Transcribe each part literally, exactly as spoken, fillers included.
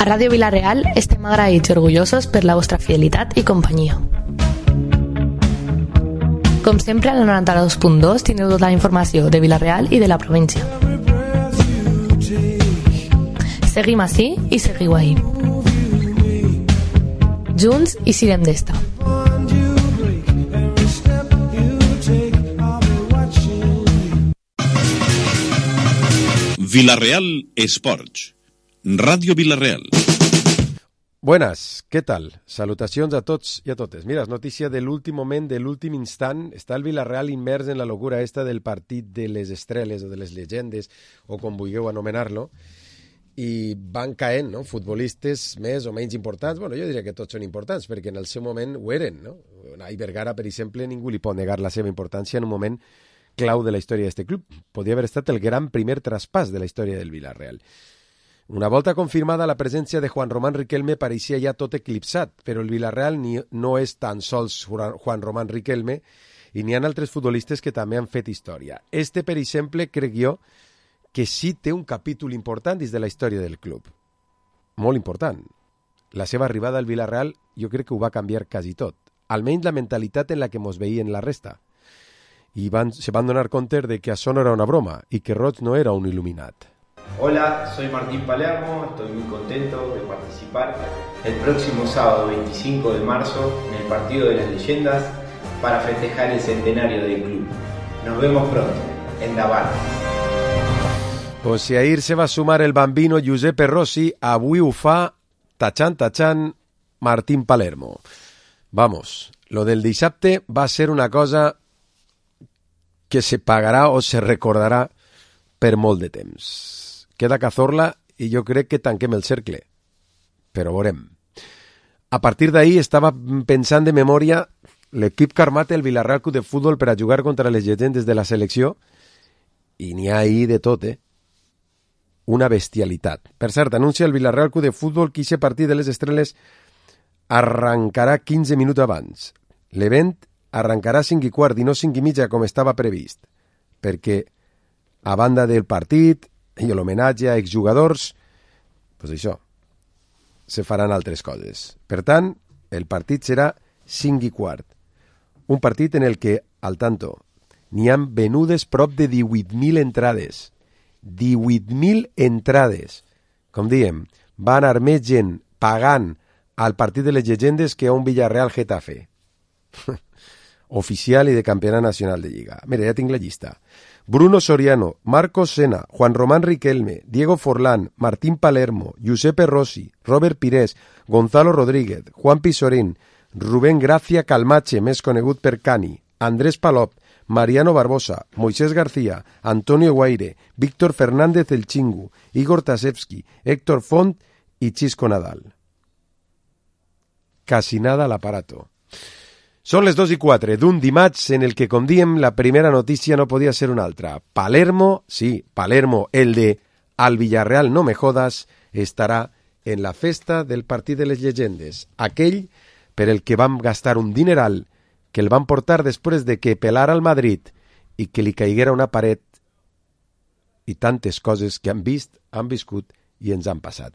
A Ràdio Vila-real estem agraïts i orgullosos per la vostra fidelitat i companyia. Com sempre, al noranta-dos punt dos teniu tota la informació de Vila-real i de la província. Seguim ací i seguiu ahí. Junts i sirem d'esta. Vila-real Esports. Radio Vila-real. Buenas, ¿qué tal? Salutacions a tots i a totes. Mira, és notícia de l'últim moment, de l'últim instant. Està el Vila-real immers en la locura esta del partit de les estrelles o de les llegendes, o com vulgueu anomenar-lo, i van caent, no?, futbolistes més o menys importants. Bueno, jo diria que tots són importants, perquè en el seu moment ho eren, no? Unai Vergara, per exemple, ningú li pot negar la seva importància en un moment clau de la història d'aquest club. Podria haver estat el gran primer traspàs de la història del Vila-real. Una volta confirmada, la presència de Juan Román Riquelme pareixia ja tot eclipsat, però el Vila-real ni, no és tan sols Juan Román Riquelme, i n'hi ha altres futbolistes que també han fet història. Este, per exemple, crec jo, que sí té un capítol important dins de la història del club. Molt important. La seva arribada al Vila-real jo crec que ho va canviar quasi tot. Almenys la mentalitat en la que mos veien la resta. I van, se van donar compte de que això no era una broma i que Roig no era un il·luminat. Hola, soy Martín Palermo, estoy muy contento de participar el próximo sábado veinticinco de marzo en el Partido de las Leyendas para festejar el centenario del club. Nos vemos pronto, en Davant. Pues si ahir se va sumar el bambino Giuseppe Rossi, avui ho fa, tachant, tachant, Martín Palermo. Vamos, lo del dissabte va ser una cosa que se pagarà o se recordarà per molt de temps. Queda Cazorla i jo crec que tanquem el cercle. Però veurem. A partir d'ahir estava pensant de memòria l'equip que ha armat el Vila-real Club de Futbol per a jugar contra les llegendes de la selecció i n'hi ha ahir de tot, eh? Una bestialitat. Per cert, anuncia el Vila-real Club de Futbol que aquest partit de les estrelles arrencarà quinze minuts abans. L'event arrencarà cinc i quart i no cinc i mitja com estava previst, perquè a banda del partit i l'homenatge a exjugadors, doncs això, se faran altres coses. Per tant, el partit serà cinc i quart. Un partit en el que, al tanto, n'hi han venudes prop de divuit mil entrades. divuit mil entrades. Com diem, va anar més gent pagant al partit de les llegendes que a un Villarreal Getafe. Oficial i de campionat nacional de Lliga. Mira, ja tinc la llista. Bruno Soriano, Marcos Sena, Juan Román Riquelme, Diego Forlán, Martín Palermo, Giuseppe Rossi, Robert Pires, Gonzalo Rodríguez, Juan Pisorín, Rubén Gracia Calmache, més conegut per Cani, Andrés Palop, Mariano Barbosa, Moisés García, Antonio Guaire, Víctor Fernández El Chingu, Igor Tasevski, Héctor Font i Chisco Nadal. Casi nada al aparato. Són les dos i quatre d'un dimarts en el que, com diem, la primera notícia no podia ser una altra. Palermo, sí, Palermo, el de Al Villarreal no me jodas, estarà en la festa del partit de les llegendes. Aquell per el que vam gastar un dineral, que el van portar després de que pelara al Madrid i que li caiguera una paret i tantes coses que han vist, han viscut i ens han passat.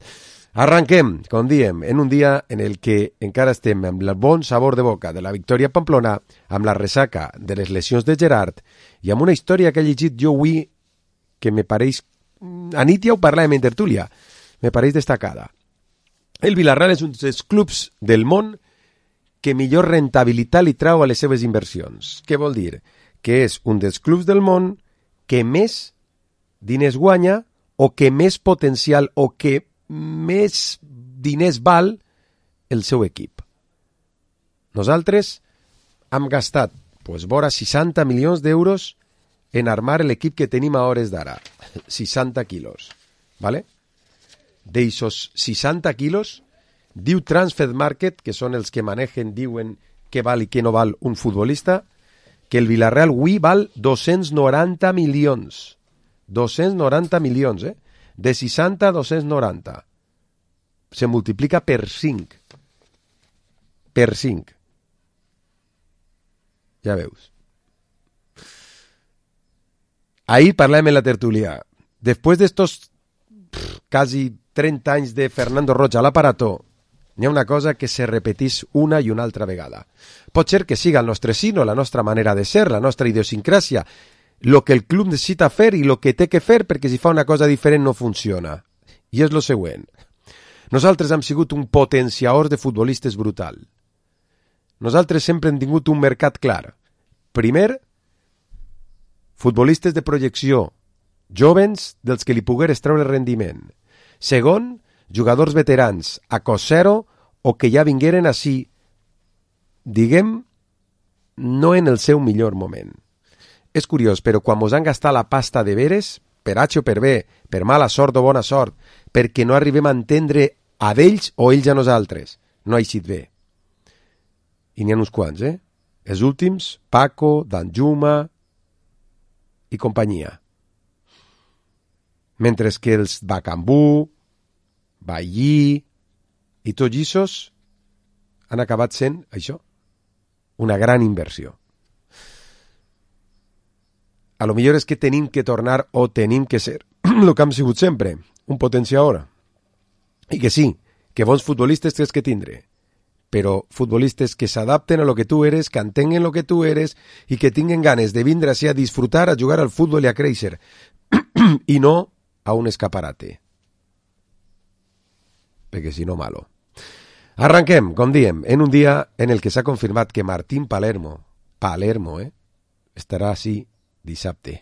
Arranquem, com diem, en un dia en el que encara estem amb el bon sabor de boca de la victòria a Pamplona, amb la ressaca de les lesions de Gerard i amb una història que he llegit jo avui que me pareix, a nit ja ho parlàvem en tertúlia, me pareix destacada. El Vila-real és un dels clubs del món que millor rentabilitat li trau a les seves inversions. Què vol dir? Que és un dels clubs del món que més diners guanya o que més potencial o que més diners val el seu equip. Nosaltres hem gastat pues, vora seixanta milions d'euros en armar l'equip que tenim a hores d'ara. seixanta quilos. ¿Vale? D'eixos seixanta quilos, diu Transfer Market, que són els que manegen, diuen què val i què no val un futbolista, que el Vila-real avui val dos-cents noranta milions. dos-cents noranta milions, eh? De seixanta a dos-cents noranta. Se multiplica per cinc. Per cinc. Ja veus. Ahí parlàvem en la tertulia. Después de estos pff, casi trenta anys de Fernando Roig a l'aparato, n'hi ha una cosa que se repetís una i una altra vegada. Pot ser que siga el nostre sino, la nostra manera de ser, la nostra idiosincràsia, el que el club necessita fer i el que té que fer, perquè si fa una cosa diferent no funciona. I és el següent. Nosaltres hem sigut un potenciador de futbolistes brutal. Nosaltres sempre hem tingut un mercat clar. Primer, futbolistes de projecció, jovens dels que li pogueres treure rendiment. Segon, jugadors veterans a cost zero o que ja vingueren així, diguem, no en el seu millor moment. És curiós, però quan mos han gastat la pasta de veres, per H o per B, per mala sort o bona sort, perquè no arribem a entendre a d'ells o ells a nosaltres, no ha eixit bé. I n'hi ha uns quants, eh? Els últims, Paco, Danjuma i companyia. Mentre que els Bacambú, Ballí i tots issos han acabat sent, això, una gran inversió. A lo millor és que tenim que tornar o tenim que ser el que hem sigut sempre, un potenciador. I que sí, que bons futbolistes tens que tindre, però futbolistes que s'adapten a lo que tu eres, que entenguen lo que tu eres i que tinguen ganes de vindre així a disfrutar, a jugar al futbol i a créixer, i no a un escaparate. Perquè si no, malo. Arranquem, com diem, en un dia en el que s'ha confirmat que Martín Palermo, Palermo, eh, estarà així dissabte.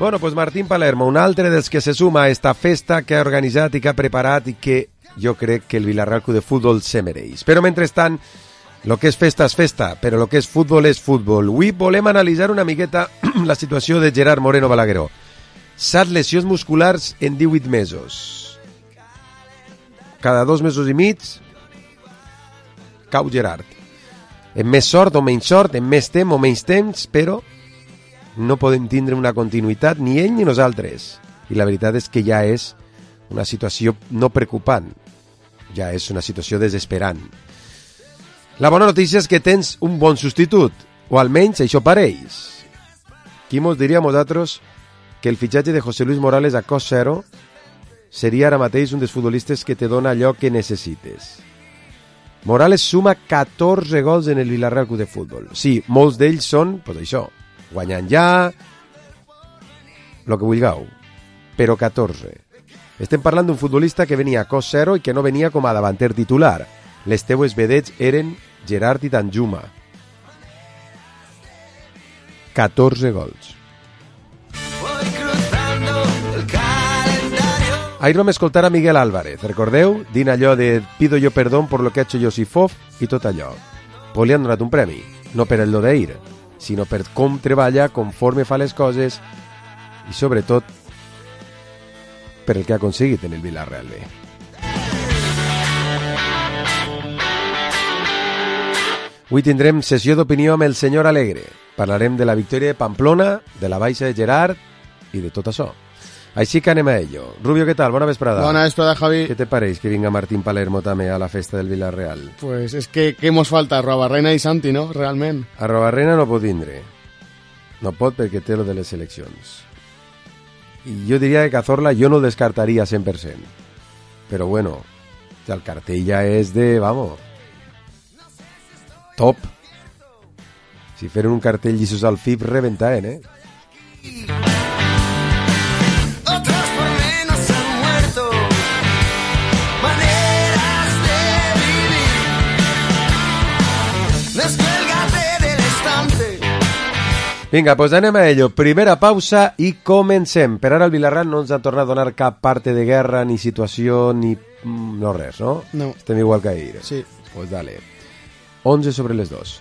Bueno, pues Martín Palermo, un altre dels que se suma a esta festa que ha organitzat i que ha preparat i que jo crec que el Villarreal Club de Futbol se mereix. Però mentrestant, lo que és festa és festa, però lo que és futbol és futbol. Avui volem analitzar una miqueta la situació de Gerard Moreno Balagueró. Set lesions musculars en divuit mesos. Cada dos mesos i mig cau Gerard. En més sort o menys sort, en més temps o menys temps, però no podem tindre una continuïtat ni ell ni nosaltres. I la veritat és que ja és una situació no preocupant, ja és una situació desesperant. La bona notícia és que tens un bon substitut, o almenys això pareix. Qui mos diria a nosaltres que el fitxatge de José Luis Morales a cost zero seria ara mateix un dels futbolistes que te dona allò que necessites. Morales suma catorze gols en el Villarreal Club de Futbol. Sí, molts d'ells són, pues això, guanyant ja, lo que vulgueu, però catorze. Estem parlant d'un futbolista que venia a cost zero i que no venia com a davanter titular. Les teues vedets eren Gerard i Danjuma. catorze gols. Ahir vam escoltar a Miguel Álvarez, recordeu? Dint allò de pido yo perdón por lo que ha hecho Josifov i tot allò. Pues li han donat un premi, no per el lo d'ahir, sinó per com treballa, conforme fa les coses i sobretot per el que ha aconseguit en el Villarreal B. Avui tindrem sessió d'opinió amb el senyor Alegre. Parlarem de la victòria de Pamplona, de la baixa de Gerard i de tot això. Així que anem a ello. Rubio, què tal? Bona vesprada. Bona vesprada, Javi. ¿Qué te pareix que vinga Martín Palermo també a la festa del Villarreal? Pues es que què mos falta? Robarrena i Santi, no? Realment. A Robarrena no pot vindre. No pot perquè té lo de les seleccions. I jo diria que Cazorla jo no el descartaria cent per cent. Però bueno, el cartell ja és de, vamos, top. Si feren un cartell llissos al F I B, rebentaven, eh? Vinga, doncs anem a ello. Primera pausa i comencem. Per ara el Villarreal no ens ha tornat a donar cap parte de guerra, ni situació, ni... no res, no? No. Estem igual que ahir. Sí. Pues dale. once sobre les dos.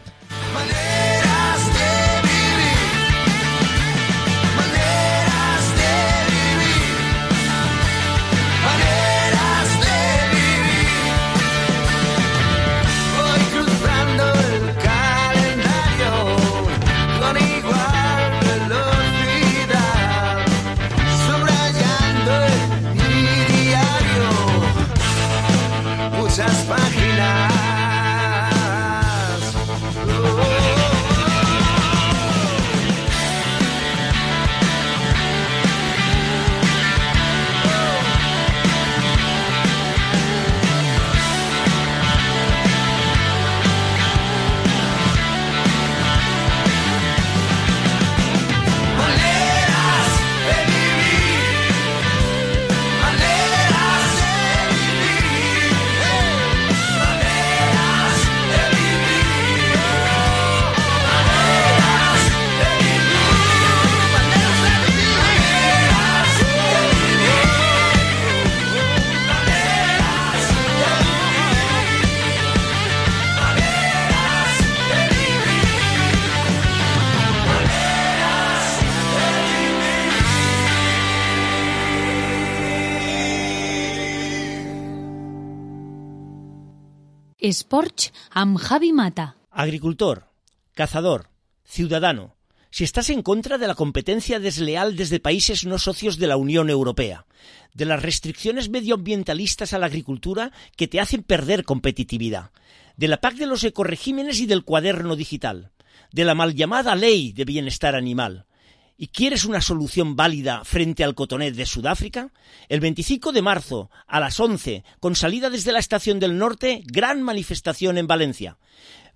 Esporch amb Javi Mata. Agricultor, cazador, ciudadano. Si estás en contra de la competencia desleal desde países no socios de la Unión Europea, de las restricciones medioambientalistas a la agricultura que te hacen perder competitividad, de la P A C de los ecoregímenes y del cuaderno digital, de la mal llamada Ley de Bienestar Animal, ¿y quieres una solución válida frente al cotonet de Sudáfrica? El veinticinco de marzo, a las once, con salida desde la Estación del Norte, gran manifestación en Valencia.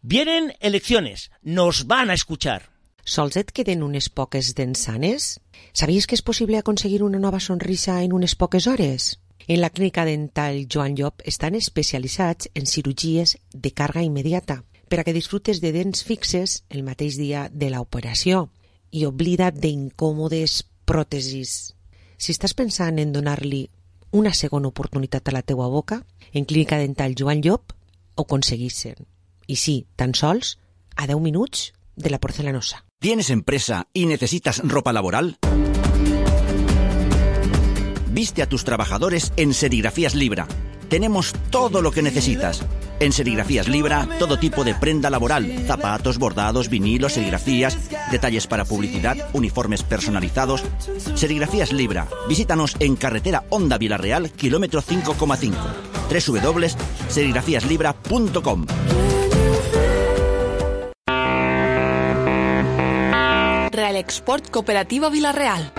Vienen elecciones, nos van a escuchar. Sols et queden unes poques dents sanes? Sabies que és possible aconseguir una nova sonrisa en unes poques hores? En la clínica dental Joan Llop estan especialitzats en cirurgies de càrrega immediata per a que disfrutes de dents fixes el mateix dia de l'operació i oblida't d'incòmodes pròtesis. Si estàs pensant en donar-li una segona oportunitat a la teua boca, en clínica dental Joan Llop ho aconseguissin. I sí, tan sols a deu minuts de la porcelanosa. ¿Tienes empresa y necesitas ropa laboral? Viste a tus trabajadores en Serigrafías Libra. Tenemos todo lo que necesitas. En Serigrafías Libra, todo tipo de prenda laboral, zapatos, bordados, vinilos, serigrafías, detalles para publicidad, uniformes personalizados. Serigrafías Libra. Visítanos en carretera Honda Villarreal, kilómetro cinco coma cinco. doble u doble u doble u punto serigrafías libra punto com. Real Export Cooperativa Villarreal.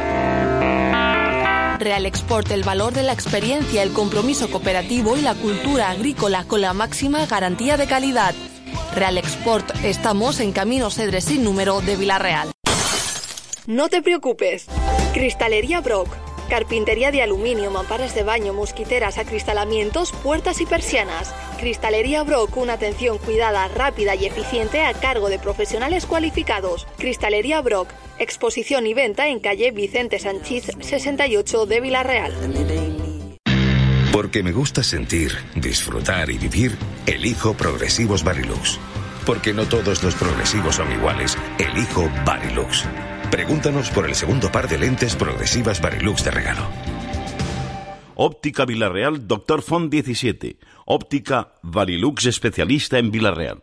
Real Export, el valor de la experiencia, el compromiso cooperativo y la cultura agrícola con la máxima garantía de calidad. Real Export, estamos en Camino Cedres sin número de Villarreal. No te preocupes. Cristalería Brock. Carpintería de aluminio, mamparas de baño, mosquiteras, acristalamientos, puertas y persianas. Cristalería Brock, una atención cuidada, rápida y eficiente a cargo de profesionales cualificados. Cristalería Brock, exposición y venta en calle Vicente Sanchís sesenta y ocho de Villarreal. Porque me gusta sentir, disfrutar y vivir, elijo Progresivos Varilux. Porque no todos los progresivos son iguales, elijo Varilux. Pregúntanos por el segundo par de lentes progresivas Varilux de regalo. Óptica Villarreal, Doctor Font diecisiete. Óptica Varilux, especialista en Villarreal.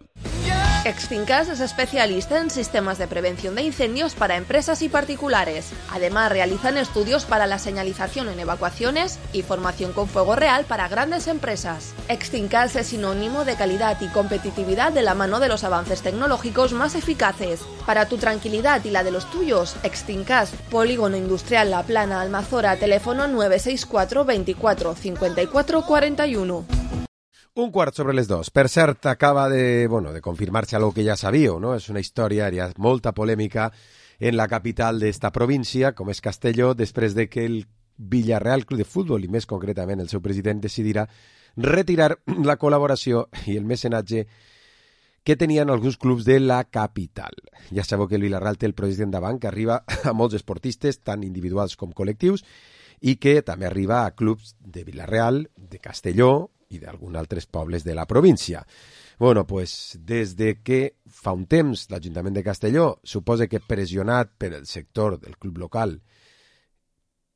Exfincas es especialista en sistemas de prevención de incendios para empresas y particulares. Además, realizan estudios para la señalización en evacuaciones y formación con fuego real para grandes empresas. Exfincas es sinónimo de calidad y competitividad de la mano de los avances tecnológicos más eficaces. Para tu tranquilidad y la de los tuyos, Exfincas, Polígono Industrial La Plana, Almazora, teléfono nueve seis cuatro veinticuatro cincuenta y cuatro cuarenta y uno. Un quart sobre les dos. Per cert, acaba de, bueno, de confirmar-se algo que ja sabíeu, no? És una història, hi ha molta polèmica en la capital d'esta província, com és Castelló, després de que el Villarreal Club de Futbol, i més concretament el seu president, decidirà retirar la col·laboració i el mecenatge que tenien alguns clubs de la capital. Ja sabeu que el Vilarreal té el projecte endavant, que arriba a molts esportistes, tant individuals com col·lectius, i que també arriba a clubs de Vilarreal, de Castelló i d'alguns altres pobles de la província. Bueno, pues, des de que fa un temps l'Ajuntament de Castelló suposa que pressionat per el sector del club local,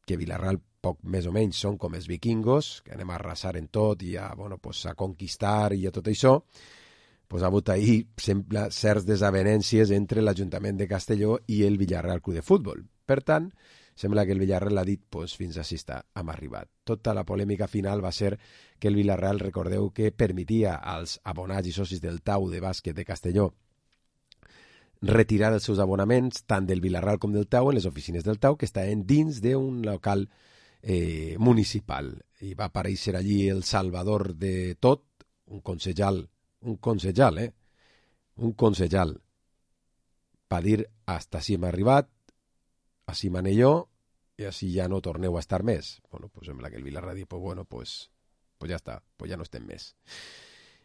que Vilarreal poc més o menys són com els vikingos, que anem a arrasar en tot i a, bueno, pues, a conquistar i a tot això, pues, ha hagut ahir sembla certs desavenències entre l'Ajuntament de Castelló i el Villarreal Club de Futbol. Per tant, sembla que el Villarreal ha dit pues, fins així està, hem arribat. Tota la polèmica final va ser que el Villarreal, recordeu que permetia als abonats i socis del Tau de bàsquet de Castelló retirar els seus abonaments tant del Vilarreal com del Tau en les oficines del Tau, que estaven dins d'un local eh, municipal. I va aparèixer allí el salvador de tot, un consellal, un consellal, eh? Un consellal. Va dir, hasta així hem arribat, així mané jo, i així ja no torneu a estar més. Bueno, pues sembla que el Vilarreal diu, pues bueno, pues, pues ya está, pues ya no estem més.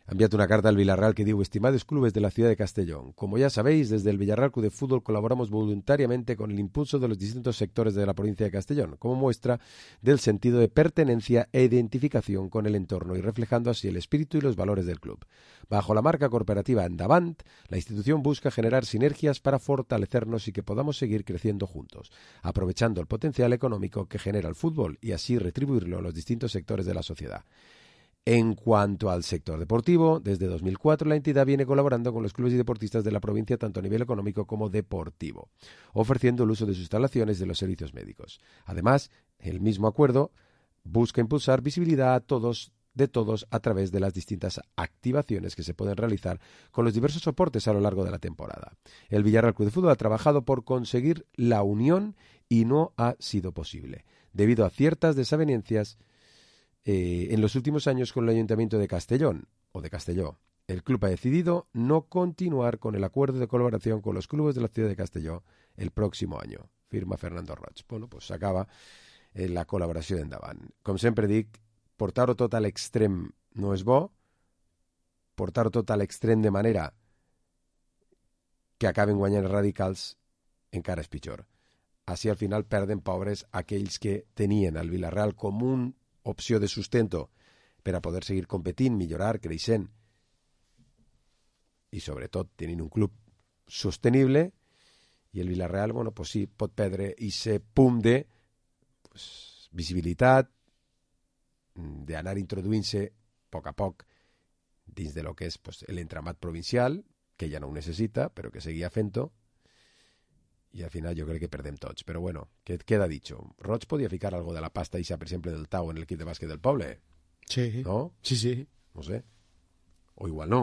Ha enviat una carta al Villarreal que diu: estimados clubes de la ciudad de Castellón, como ya sabéis, desde el Villarreal Club de Fútbol colaboramos voluntariamente con el impulso de los distintos sectores de la provincia de Castellón, como muestra del sentido de pertenencia e identificación con el entorno y reflejando así el espíritu y los valores del club. Bajo la marca corporativa Endavant, la institución busca generar sinergias para fortalecernos y que podamos seguir creciendo juntos, aprovechando el potencial económico que genera el fútbol y así retribuirlo a los distintos sectores de la sociedad. En cuanto al sector deportivo, desde dos mil cuatro la entidad viene colaborando con los clubes y deportistas de la provincia tanto a nivel económico como deportivo, ofreciendo el uso de sus instalaciones y de los servicios médicos. Además, el mismo acuerdo busca impulsar visibilidad a todos, de todos a través de las distintas activaciones que se pueden realizar con los diversos soportes a lo largo de la temporada. El Villarreal Club de Fútbol ha trabajado por conseguir la unión y no ha sido posible, debido a ciertas desavenencias Eh, en los últimos años con el Ayuntamiento de Castellón o de Castelló. El club ha decidido no continuar con el acuerdo de colaboración con los clubes de la ciudad de Castelló el próximo año. Firma Fernando Roig. Bueno, pues s'acaba eh, la col·laboració d'endavant. Com sempre dic, portar-ho tot a l'extrem no és bo, portar-ho tot a l'extrem de manera que acaben guanyant radicals encara és pitjor. Així al final perden pobres aquells que tenien el Vilarreal com un opció de sustento per a poder seguir competint, millorar, creixent i sobretot tenint un club sostenible, i el Vilarreal, bueno, pues sí, pot perdre aquest punt de pues, visibilitat, d'anar introduint-se a poc a poc dins de lo que és pues, l'entramat provincial, que ja no ho necessita, però que seguia fent-ho, i al final jo crec que perdem tots. Però bueno, què queda dicho? Roig podia ficar algo de la pasta ixa, per exemple, del Tau en l'equip de bàsquet del poble. Sí. ¿No? Sí, sí. No sé. O igual no.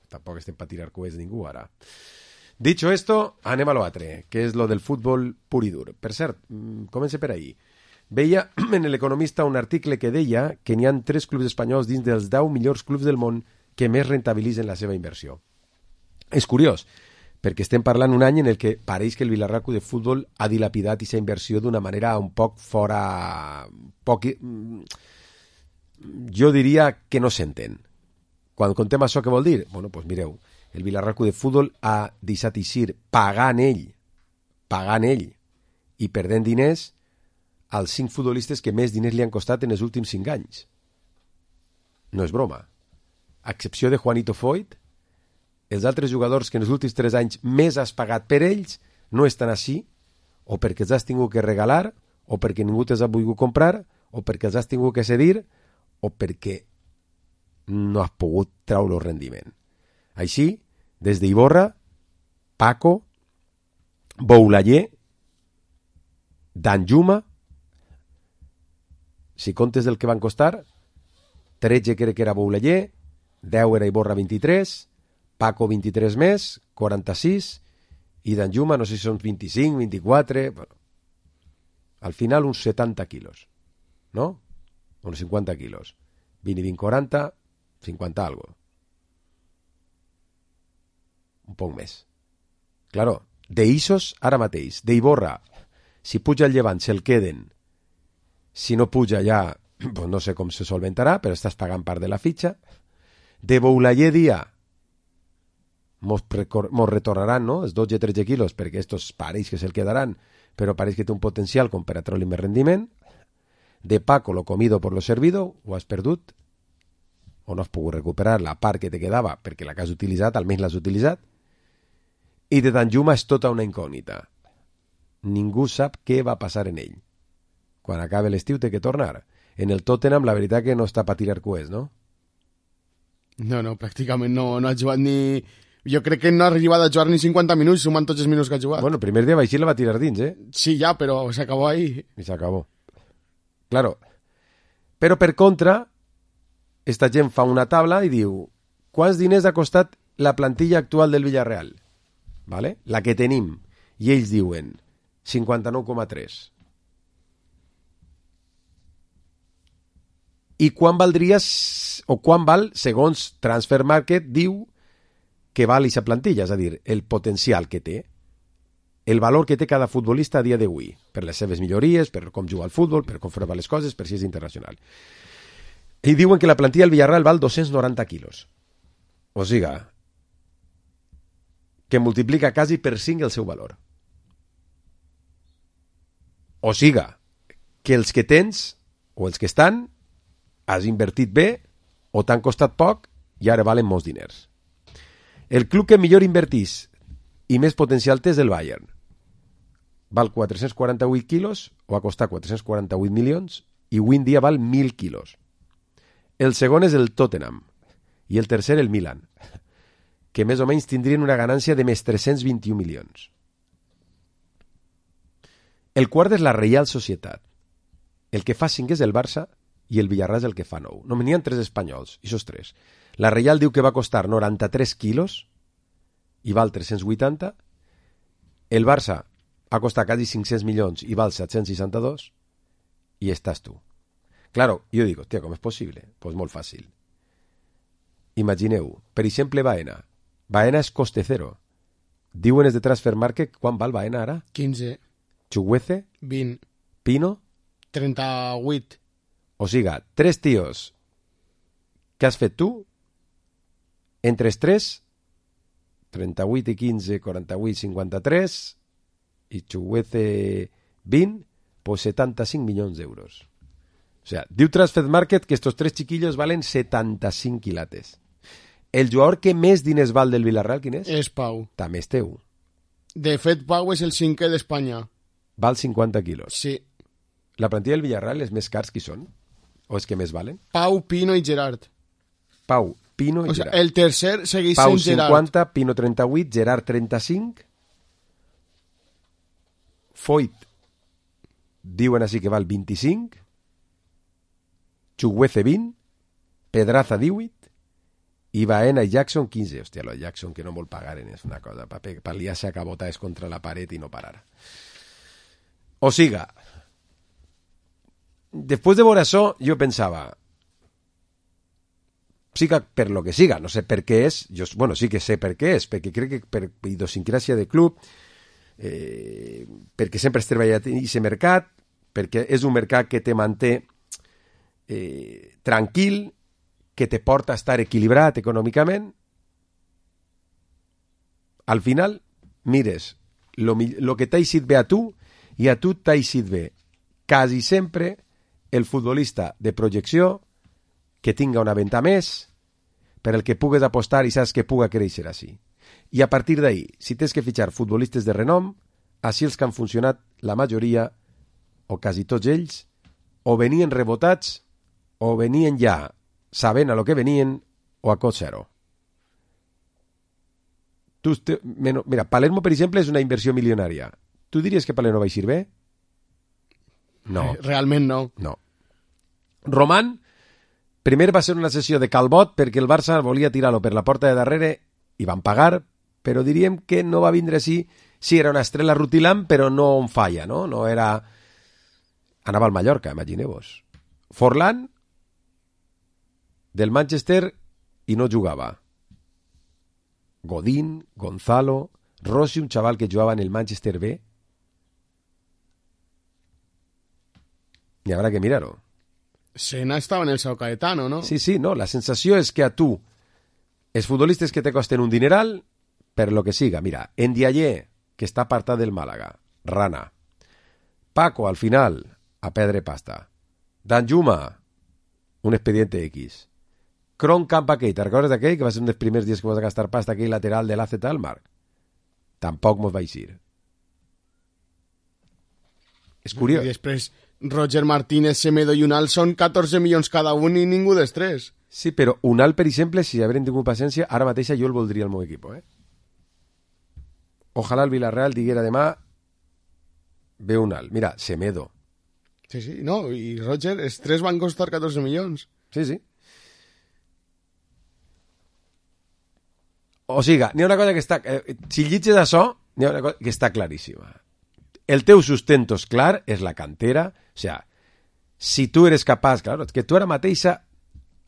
Tampoc estem per tirar coets ningú ara. Dicho esto, anem a lo altre, que és lo del futbol pur i dur. Per cert, comença per ahir. Veia en l'Economista un article que deia que n'hi ha tres clubs espanyols dins dels deu millors clubs del món que més rentabilitzen la seva inversió. És curiós, perquè estem parlant un any en el que pareix que el Vilarreal Club de Futbol ha dilapidat aquesta inversió d'una manera un poc fora... Poc... Jo diria que no s'entén. Quan contem això, què vol dir? Bueno, doncs mireu, el Vilarreal Club de Futbol ha deixat eixir pagant ell, pagant ell i perdent diners als cinc futbolistes que més diners li han costat en els últims cinc anys. No és broma. A excepció de Juanito Foyt, els altres jugadors que en els últims tres anys més has pagat per ells no estan així, o perquè els has tingut que regalar, o perquè ningú te'ls ha volgut comprar, o perquè els has tingut que cedir, o perquè no has pogut treure el rendiment. Així, des d'Iborra, Paco, Boulayer, Danjuma, si comptes el que van costar, tretze crec que era Boulayer, deu era Iborra vint-i-tres, Paco vint-i-tres més, quaranta-sis, i Danjuma no sé si són vint-i-cinc, vint-i-quatre... Bueno, al final uns setanta quilos, no? Uns cinquanta quilos. vint i vint, quaranta, cinquanta algo. Un poc més. Claro, d'Ixos ara mateix, d'Iborra, si puja el Llevant se'l queden, si no puja ja, pues no sé com se solventarà, però estàs pagant part de la fitxa. De Boulayer dia, mos, precor- mos retornaran, no?, els dotze tretze quilos, perquè estos pareix que se'l quedaran, però pareix que té un potencial com per a treure més rendiment. De Paco, lo comido por lo servido, ho has perdut, o no has pogut recuperar la part que te quedava perquè la que has utilitzat, almenys l'has utilitzat. I de Danjuma és tota una incògnita. Ningú sap què va passar en ell. Quan acabe l'estiu té que tornar. En el Tottenham la veritat que no està per tirar coets, no? No, no, pràcticament no, no ha jugat ni... Jo crec que no ha arribat a jugar ni cinquanta minuts, sumant tots els minuts que ha jugat. Bueno, el primer dia va així la va tirar dins, eh? Sí, ja, però s'acabó ahí. I s'acabó. Claro. Però per contra, esta gent fa una tabla i diu quants diners ha costat la plantilla actual del Villarreal? ¿Vale? La que tenim. I ells diuen cinquanta-nou coma tres. I quan valdria, o quan val, segons Transfer Market, diu que val aquesta plantilla, és a dir, el potencial que té, el valor que té cada futbolista a dia d'avui, per les seves millories, per com juga al futbol, per com fa les coses, per si és internacional. I diuen que la plantilla del Villarreal val dos-cents noranta quilos. O sigui, que multiplica quasi per cinc el seu valor. O sigui, que els que tens, o els que estan, has invertit bé, o t'han costat poc, i ara valen molts diners. El club que millor invertís i més potencial té és el Bayern. Val quatre-cents quaranta-vuit quilos, o ha costat quatre-cents quaranta-vuit milions, i avui en dia val mil quilos. El segon és el Tottenham, i el tercer el Milan, que més o menys tindrien una ganància de més tres-cents vint-i-un milions. El quart és la Reial Societat. El que fa cinc és el Barça i el Villarreal és el que fa nou. No, n'hi ha tres espanyols, i sos tres. La Reial diu que va costar noranta-tres quilos i val tres-cents vuitanta. El Barça ha costat quasi cinc-cents milions i val set-cents seixanta-dos. I estàs tu. Claro, jo dic, hòstia, com és possible? Pues molt fàcil. Imagineu, per exemple, Baena. Baena és coste cero. Diuen els de Transfer Market quan val Baena ara? quinze. Chuguece? vint. Pino? trenta-vuit. O sigui, tres tios que has fet tu, entre els tres, trenta-vuit i quinze, quaranta-vuit, cinquanta-tres, i Chuguece vint, pues setanta-cinc milions d'euros. O sigui, diu Transfer Market que estos tres chiquillos valen setanta-cinc quilates. El jugador que més diners val del Villarreal, quin és? És Pau. També és teu. De fet, Pau és el cinquè d'Espanya. Val cinquanta quilos. Sí. La plantilla del Villarreal és més cars qui són? O és que més valen? Pau, Pino i Gerard. Pau, Pino i o sigui, Gerard. el tercer segueix Pau sent Gerard. cinquanta, Pino trenta-vuit, Gerard trenta-cinc. Foyt diuen així que val vint-i-cinc. Chuguece vint. Pedraza divuit. I Baena i Jackson quinze. Hòstia, lo Jackson que no vol pagar és una cosa per pal·liar-se a cabotades contra la paret i no parar. O siga, després de veure això, jo pensava, siga per lo que siga, no sé per què és, jo, bueno, sí que sé per què és, perquè crec que per idiosincràsia de club, eh, perquè sempre has treballat en aquest mercat, perquè és un mercat que te manté eh, tranquil, que te porta a estar equilibrat econòmicament. Al final, mires lo, lo que t'ha eixit bé a tu i a tu t'ha eixit bé quasi sempre el futbolista de projecció que tinga una venta més per el que pugues apostar i saps que puga créixer així. I a partir d'ahí, si tens que fitxar futbolistes de renom, així els que han funcionat la majoria, o quasi tots ells, o venien rebotats o venien ja sabent a lo que venien o a cost zero. Tu, mira, Palermo, per exemple, és una inversió milionària. Tu diries que Palermo va eixir bé? No. Realment no. No. Román, primer va ser una sessió de Calbot perquè el Barça volia tirar-lo per la porta de darrere i van pagar, però diríem que no va vindre així. Sí, era una estrella rutilant, però no on falla, no? No era... Anava al Mallorca, imagineu-vos. Forlán, del Manchester, i no jugava. Godín, Gonzalo, Rossi, un xaval que jugava en el Manchester B. I haurà que mirar-ho. Sena estava en el Sao Caetano, no? Sí, sí, no. La sensació és que a tu, els futbolistes que te costen un dineral, per lo que siga. Mira, Ndiaye, que està apartat del Màlaga, rana. Paco, al final, a perdre pasta. Danjuma, un expediente X. Kron Camp aquell, te'n recordes d'aquell que va ser un dels primers dies que vas a gastar pasta aquell lateral de l'A Z Almar? Tampoc mos va eixir. És curiós. I després Roger Martínez, Semedo i Unal són catorze milions cada un i ningú dels tres. Sí, però Unal, per exemple, si haurem tingut paciència, ara mateixa jo el voldria al meu equip, eh? Ojalà el Villarreal diguera demà ve Unal. Mira, Semedo. Sí, sí, no, i Roger, els tres van costar catorze milions. Sí, sí. O sigui, n'hi ha una cosa que està... Eh, si llitges això, n'hi ha una cosa que està claríssima. El teu sustento és clar, és la cantera. O sigui, si tu eres capaç... Claro, que tu ara mateixa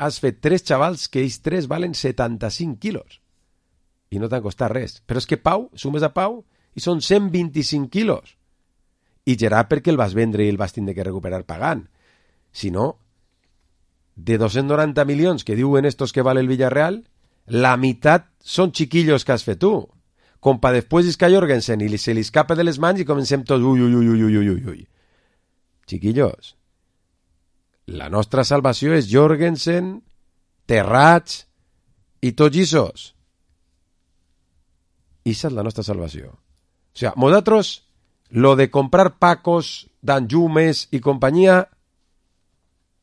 has fet tres xavals que ells tres valen setanta-cinc quilos. I no t'han costat res. Però és que Pau, sumes a Pau, i són cent vint-i-cinc quilos. I Gerard perquè el vas vendre i el vas tindre que recuperar pagant. Si no, de dos-cents noranta milions que diuen estos que vale el Villarreal, la meitat són chiquillos que has fet tu. Com pa després isca Jorgensen i se li escapa de les mans i comencem tots ui, ui, ui, ui, ui, ui, ui. Chiquillos, la nostra salvació és Jorgensen, Terrats i tots issos. Ixa és la nostra salvació. O sigui, nosaltres, lo de comprar Pacos, Danjumes i companyia,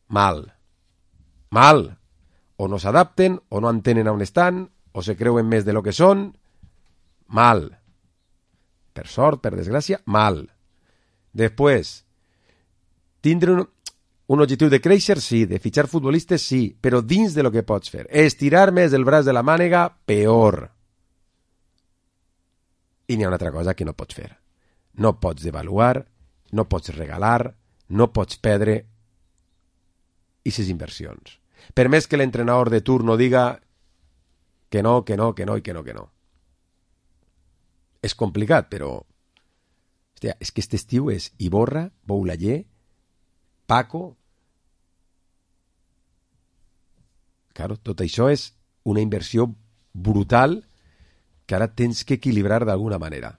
mal. Mal. O no s'adapten, o no entenen on estan, o se creuen més de lo que són, mal. Per sort, per desgràcia, mal. Després, tindre un, un objectiu de créixer, sí, de fitxar futbolistes, sí, però dins de lo que pots fer. Estirar més el braç de la mànega, peor. I n'hi ha una altra cosa que no pots fer. No pots devaluar, no pots regalar, no pots perdre aquestes inversions. Per més que l'entrenador de turno diga que no, que no, que no i que no, que no. És complicat, però... Hòstia, és que aquest estiu és Iborra, Boulayer, Paco... Claro, tot això és una inversió brutal que ara tens que equilibrar d'alguna manera.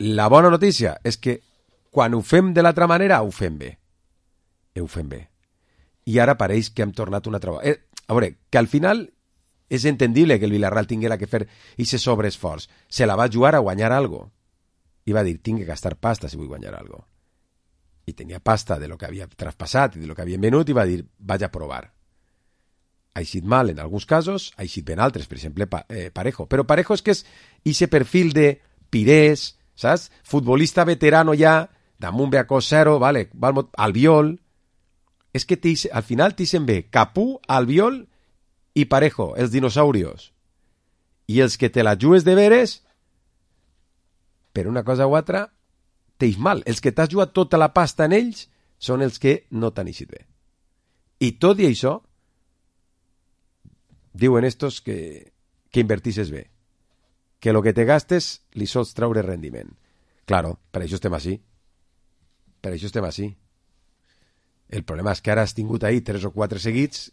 La bona notícia és que quan ho fem de l'altra manera, ho fem bé. Ho fem bé. I ara pareix que hem tornat una altra... Eh, a veure, que al final és entendible que el Villarreal tinguera que fer aquest sobreesforç. Se la va jugar a guanyar algo. I va dir, tinc que gastar pasta si vull guanyar algo. I tenia pasta de lo que havia traspassat i de lo que havien venut i va dir, vaig a provar. Ha eixit mal en alguns casos, ha eixit ben altres, per exemple, pa, eh, Parejo. Però Parejo és que és ese perfil de Pirés, saps? Futbolista veterano ja, damunt ve a cos zero, vale, Albiol... És que al final t'ixen bé Capú, Albiol i Parejo, els dinosaurios. I els que te la jugues de veres, per una cosa o altra, t'eix mal. Els que t'has jugat tota la pasta en ells són els que no t'han eixit bé. I tot i això, diuen estos que, que invertisses bé. Que lo que te gastes li sols traure rendiment. Claro, per això estem així. Per això estem així. El problema és que ara has tingut ahí tres o quatre seguits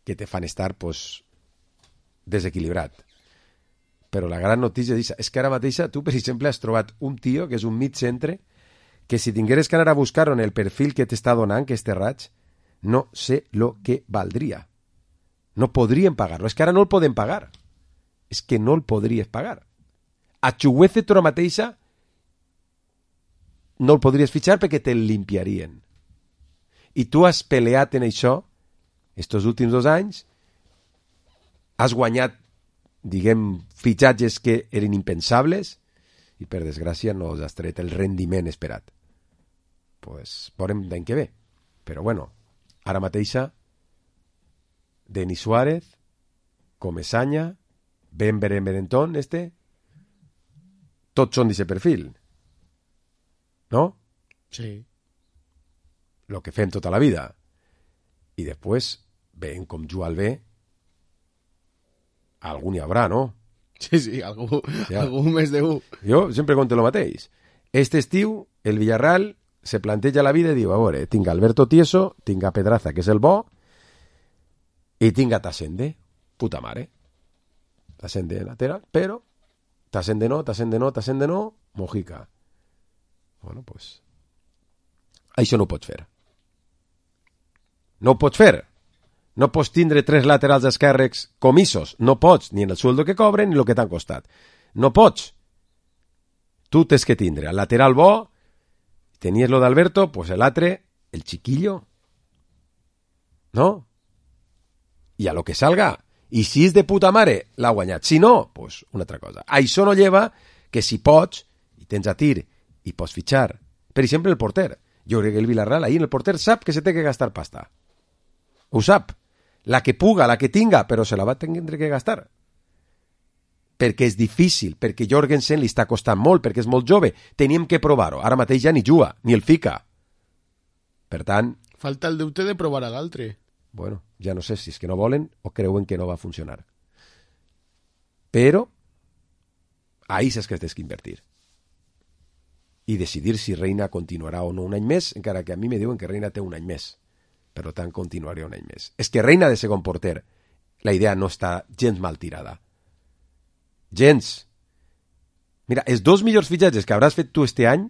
que te fan estar, pues, desequilibrat. Però la gran notícia és, és que ara mateixa tu, per exemple, has trobat un tio que és un mig centre que si tingueres que anar a buscar en el perfil que t'està donant, que és Terrats, no sé lo que valdria. No podrien pagar-lo. És que ara no el podem pagar. És que no el podries pagar. A Chuguece tu ara mateixa no el podries fitxar perquè te'l limpiarien. I tu has peleat en això estos últims dos anys, has guanyat, diguem, fitxatges que eren impensables i per desgràcia no has tret el rendiment esperat. Pues veurem d'any que ve. Però bueno, ara mateixa Denis Suárez, Comesaña, Ben Berentón, este, tots són d'aquest perfil. No? Sí. Lo que fem tota la vida. I després, veient com juga el bé, algú n'hi haurà, no? Sí, sí, algú, ja. algú més de u. Jo sempre conto el mateix. Este estiu, el Villarreal se planteja la vida i diu, a veure, tinc Alberto Tieso, tinc a Pedraza, que és el bo, i tinc a Tassende, puta mare. Tassende lateral, però t'assent de no, t'assent de no, t'assent de no, mojica. Bueno, pues... Això no ho pots fer. No ho pots fer. No pots tindre tres laterals esquerres comissos. No pots, ni en el sueldo que cobren ni el que t'han costat. No pots. Tu tens que tindre el lateral bo, tenies lo d'Alberto, pues el altre, el chiquillo. No? I a lo que salga. I si és de puta mare, l'ha guanyat. Si no, pues una altra cosa. Això no lleva que si pots, i tens a tir, i pots fitxar, per exemple, el porter. Jo crec que el Villarreal ahir en el porter sap que se té que gastar pasta. Ho sap. La que puga, la que tinga, però se la va tindre que gastar. Perquè és difícil, perquè Jorgensen li està costant molt, perquè és molt jove. Teníem que provar-ho. Ara mateix ja ni juga, ni el fica. Per tant... Falta el deute de provar a l'altre. Bueno, ja no sé si és que no volen o creuen que no va funcionar. Però ahí és que tens que invertir. I decidir si Reina continuarà o no un any més, encara que a mi me diuen que Reina té un any més. Per tant, continuaré un any més. És que Reina de segon porter, la idea no està gens mal tirada. Gens. Mira, els dos millors fitxatges que hauràs fet tu este any,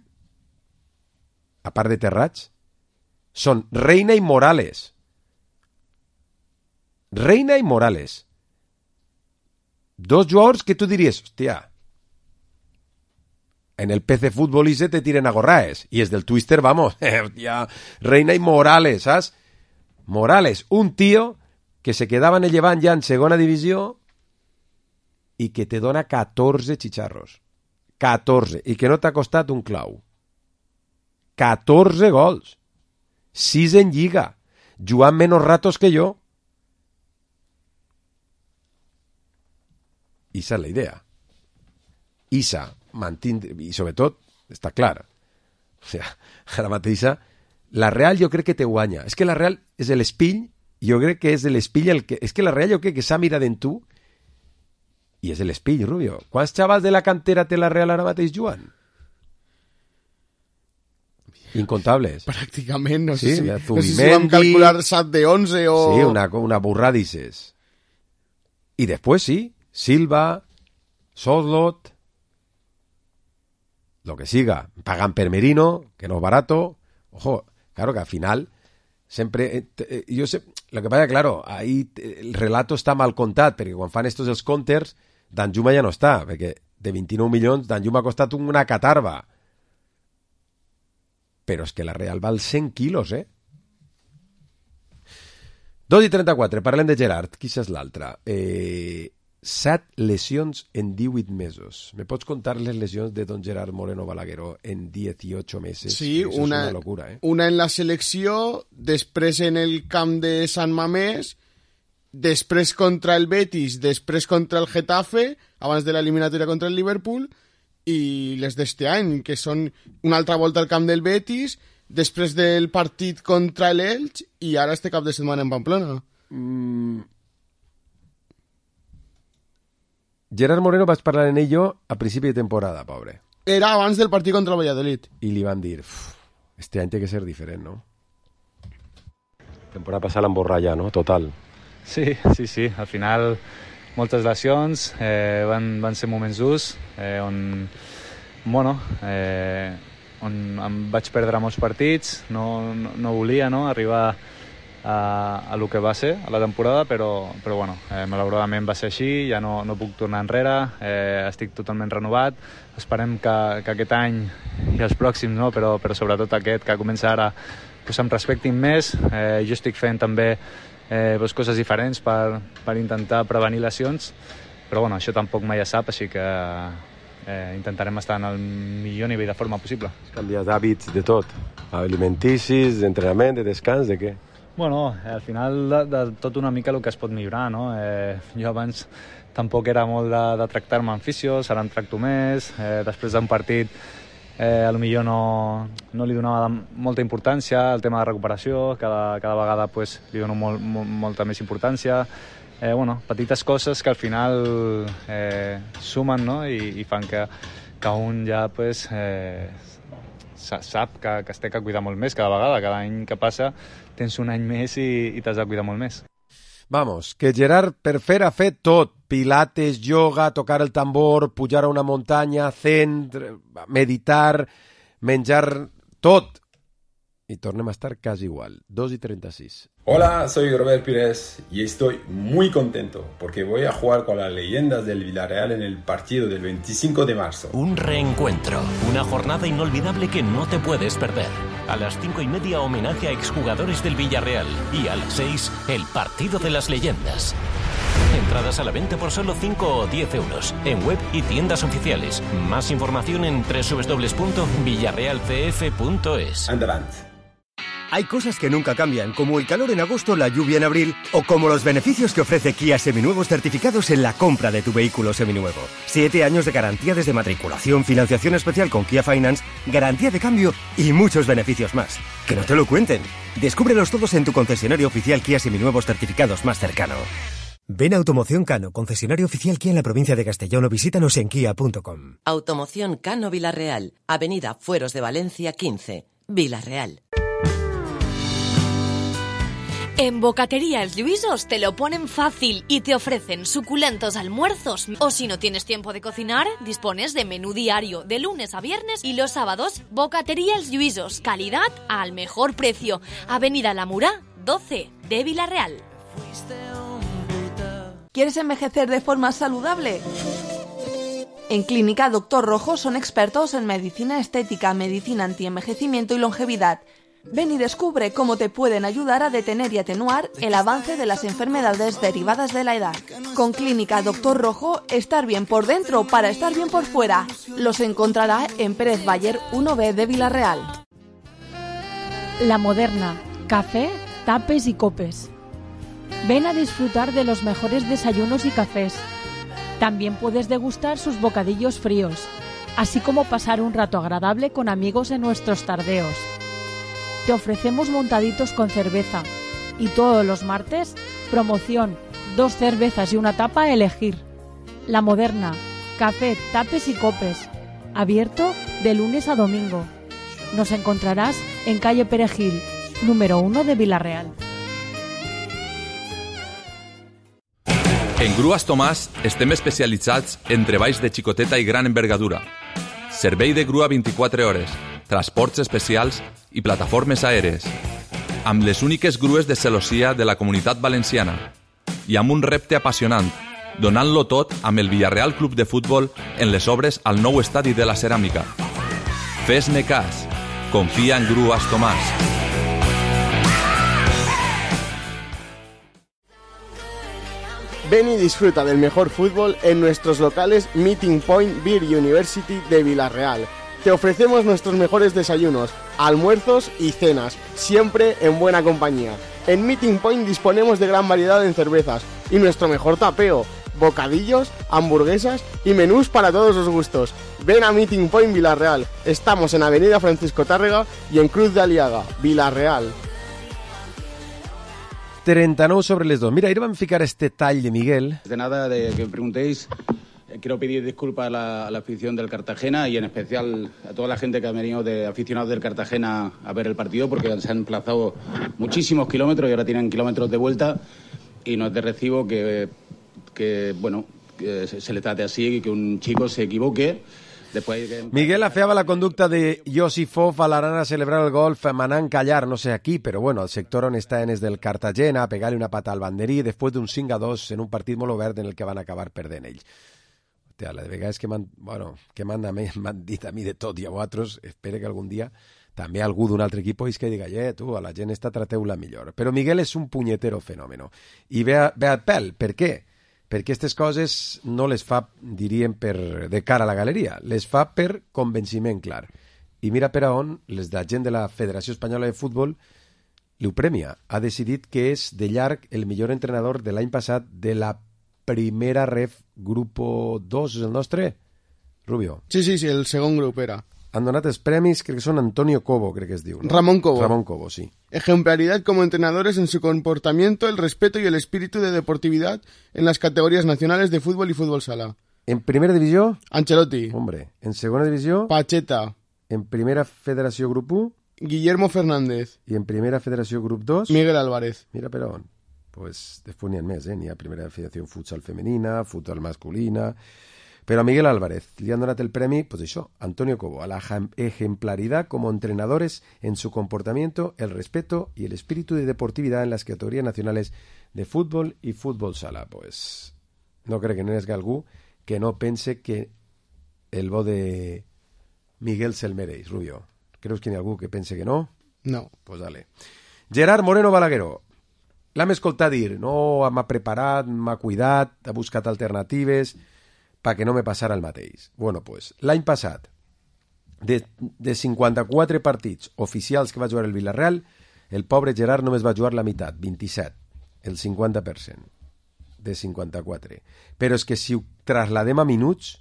a part de Terrats, són Reina i Morales. Reina i Morales. Dos jugadors que tu diries, hòstia, en el P C Fútbol I se te tiren a gorraes. I és del Twister, vamos, hòstia, Reina i Morales, saps? Morales, un tío que se quedava en el Llevant ja en segona divisió i que te dona catorze xicharros. catorze. I que no t'ha costat un clau. catorze gols. sis en Lliga. Jugant menys ratos que jo. Esa és la idea. Isa mantindre, i sobretot, està clar. O sigui, ara mateixa, la Real jo crec que te guanya. És que la Real és l'espill, jo crec que és l'espill el que... És que la Real jo crec que s'ha mirat en tu i és l'espill, Rubio. Quants xavals de la cantera té la Real ara mateix jugant? Incontables. Pràcticament, no sí, sé si, no Zubimendi, sé si vam calcular set de onze o... Sí, una, una burrada dices. Y después sí, Silva, Soslot, lo que siga, pagan per Merino, que no es barato. Ojo, claro que al final siempre, eh, eh, yo sé, lo que pasa, claro, ahí el relato está mal contat, perquè quan fan estos els counters, Danjuma ja no està, perquè de vint-i-nou milions Danjuma ha costat una catarba. Però és que la Real val cent quilos, eh? dos i trenta-quatre, parlem de Gerard. Qui és l'altre? Eh, set lesions en divuit mesos. ¿Me pots contar les lesions de don Gerard Moreno Balagueró en dieciocho meses? Sí, Eso una, és una locura, eh? Una en la selecció, després en el camp de Sant Mamés, després contra el Betis, després contra el Getafe, abans de l'eliminatòria contra el Liverpool, i les d'este any, que són una altra volta al camp del Betis, després del partit contra l'Elx i ara este cap de setmana en Pamplona. Mm. Gerard Moreno vaig parlar en ello a principi de temporada, pobre. Era abans del partit contra el Valladolid. I li van dir, este any té que ser diferent, no? Temporada passada l'emborralla, no? Total. Sí, sí, sí. Al final moltes lesions, eh, van, van ser moments durs, eh, on, bueno, eh, on em vaig perdre molts partits, no, no, no volia no, arribar a, a lo que va ser a la temporada, però, però bueno, eh, malauradament va ser així, ja no, no puc tornar enrere, eh, estic totalment renovat, esperem que, que aquest any i els pròxims, no, però, però sobretot aquest que comença ara, pues em respectin més, eh, jo estic fent també Eh, pues coses diferents per, per intentar prevenir lesions, però bueno, això tampoc mai es sap, així que eh, intentarem estar en el millor nivell de forma possible. Canviar d'hàbits de tot, alimenticis, d'entrenament, de descans, de què? Bueno, al final de, de tot una mica el que es pot millorar, no? Eh, jo abans tampoc era molt de, de tractar-me en fisios, ara en tracto més, eh, després d'un partit Eh, a lo millor no, no li donava molta importància al tema de recuperació, cada, cada vegada pues, li dono molt, molt, molta més importància, eh, bueno, petites coses que al final eh, sumen, no? I, i fan que, que un ja pues, eh, sap que, que es té que cuidar molt més cada vegada, cada any que passa tens un any més i, i t'has de cuidar molt més. Vamos, que Gerard per fer ha fet tot. pilates, yoga, tocar el tambor, pujar a una muntanya, zen, meditar, menjar tot. Y tornem a estar casi igual, dos y treinta y seis. Hola, soy Robert Pires y estoy muy contento porque voy a jugar con las leyendas del Villarreal en el partido del veinticinco de marzo. Un reencuentro, una jornada inolvidable que no te puedes perder. A las cinco y media, homenaje a exjugadores del Villarreal y a las seis, el partido de las leyendas. Entradas a la venta por solo cinco o diez euros en web y tiendas oficiales. Más información en doble u doble u doble u punto villarreal c f punto es. Adelante. Hay cosas que nunca cambian, como el calor en agosto, la lluvia en abril, o como los beneficios que ofrece Kia Seminuevos certificados en la compra de tu vehículo seminuevo. Siete años de garantía desde matriculación, financiación especial con Kia Finance, garantía de cambio y muchos beneficios más. Que no te lo cuenten. Descúbrelos todos en tu concesionario oficial Kia Seminuevos certificados más cercano. Ven a Automoción Cano, concesionario oficial Kia en la provincia de Castellón, o visítanos en kia punto com. Automoción Cano Villarreal, Avenida Fueros de Valencia quince, Villarreal. En Bocatería El Lluïsos te lo ponen fácil y te ofrecen suculentos almuerzos. O si no tienes tiempo de cocinar, dispones de menú diario de lunes a viernes y los sábados. Bocatería El Lluïsos, calidad al mejor precio. Avenida La Murá, doce, de Villarreal. ¿Quieres envejecer de forma saludable? En Clínica Doctor Rojo son expertos en medicina estética, medicina antienvejecimiento y longevidad. Ven y descubre cómo te pueden ayudar a detener y atenuar el avance de las enfermedades derivadas de la edad. Con Clínica Doctor Rojo, estar bien por dentro para estar bien por fuera. Los encontrará en Pérez Bayer uno B de Villarreal. La Moderna, café, tapes y copes. Ven a disfrutar de los mejores desayunos y cafés. También puedes degustar sus bocadillos fríos, así como pasar un rato agradable con amigos en nuestros tardeos. Te ofrecemos montaditos con cerveza y todos los martes, promoción, dos cervezas y una tapa a elegir. La Moderna, café, tapes y copes, abierto de lunes a domingo. Nos encontrarás en calle Perejil, número uno de Villarreal. En Grues Tomàs estem especialitzats en treballs de xicoteta i gran envergadura. Servei de grua vint-i-quatre hores, transports especials i plataformes aèries, amb les úniques grues de celossia de la Comunitat Valenciana i amb un repte apassionant, donant-lo tot amb el Villarreal Club de Futbol en les obres al nou estadi de la Ceràmica. Fes-me cas, confia en Grues Tomàs. Ven y disfruta del mejor fútbol en nuestros locales Meeting Point Beer University de Villarreal. Te ofrecemos nuestros mejores desayunos, almuerzos y cenas, siempre en buena compañía. En Meeting Point disponemos de gran variedad en cervezas y nuestro mejor tapeo, bocadillos, hamburguesas y menús para todos los gustos. Ven a Meeting Point Villarreal. Estamos en Avenida Francisco Tárrega y en Cruz de Aliaga, Villarreal. trenta-nou sobre les dos. Mira, ahir vam ficar este tall de Miguel. De nada, de que me preguntéis, quiero pedir disculpas a la, a la afición del Cartagena y en especial a toda la gente que ha venido de aficionados del Cartagena a ver el partido, porque se han emplazado muchísimos kilómetros y ahora tienen kilómetros de vuelta, y no es de recibo que, que bueno, que se, se le trate así, que un chico se equivoque. Después que... Miguel afeaba la conducta de Josifov a l'Arana a celebrar el gol manant callar, no sé aquí, però bueno, el sector on estaven és del Cartagena, a pegar-li una pata al banderí després d'un cinc a dos en un partit molt obert en el que van acabar perdent ells. Hòstia, la de vegades que m'han bueno, que m'han dit a mi de tot i a vosaltres, espero que algun dia també algú d'un altre equip és que diga, eh, tu, a la gent esta trateu-la millor. Però Miguel és un punyetero fenòmeno. I ve, a, ve al pèl, per què? Perquè aquestes coses no les fa, diríem, per, de cara a la galeria, les fa per convenciment clar. I mira per a on les de la gent de la Federació Espanyola de Futbol li ho premia. Ha decidit que és de llarg el millor entrenador de l'any passat de la primera ref Grupo dos, és el nostre, Rubio? Sí, sí, sí, el segon grup era. Han donat els premis, crec que són Antonio Cobo, crec que es diu. ¿No? Ramón Cobo. Ramón Cobo, sí. Ejemplaridad como entrenadores en su comportamiento, el respeto y el espíritu de deportividad en las categorías nacionales de fútbol y fútbol sala. En primera divisió? Ancelotti. Hombre. En segona divisió? Pacheta. En primera federació grup u? Guillermo Fernández. I en primera federació grup dos? Miguel Álvarez. Mira per on. pues, després n'hi ha més, eh? N'hi ha Primera Federació Futsal Femenina, Futsal Masculina... Pero a Miguel Álvarez le han dado el premio, pues eso, Antonio Cobo, a la ejemplaridad como entrenadores en su comportamiento, el respeto y el espíritu de deportividad en las categorías nacionales de fútbol y fútbol sala. Pues no creo que no es algú que no pense que el bo de Miguel se'l mereix, Rubio. ¿Creus que hay algú que pense que no? No. Pues dale. Gerard Moreno Balagueró. L'hem escoltat dir, no, m'ha preparat, m'ha cuidat, ha buscat alternatives... para que no me passara el mateix. Bueno, pues, l'any passat, de, de cinquanta-quatre partits oficials que va jugar el Villarreal, el pobre Gerard només va jugar la meitat, vint-i-set, el cinquanta per cent de cinquanta-quatre. Però és que si ho trasladem a minuts,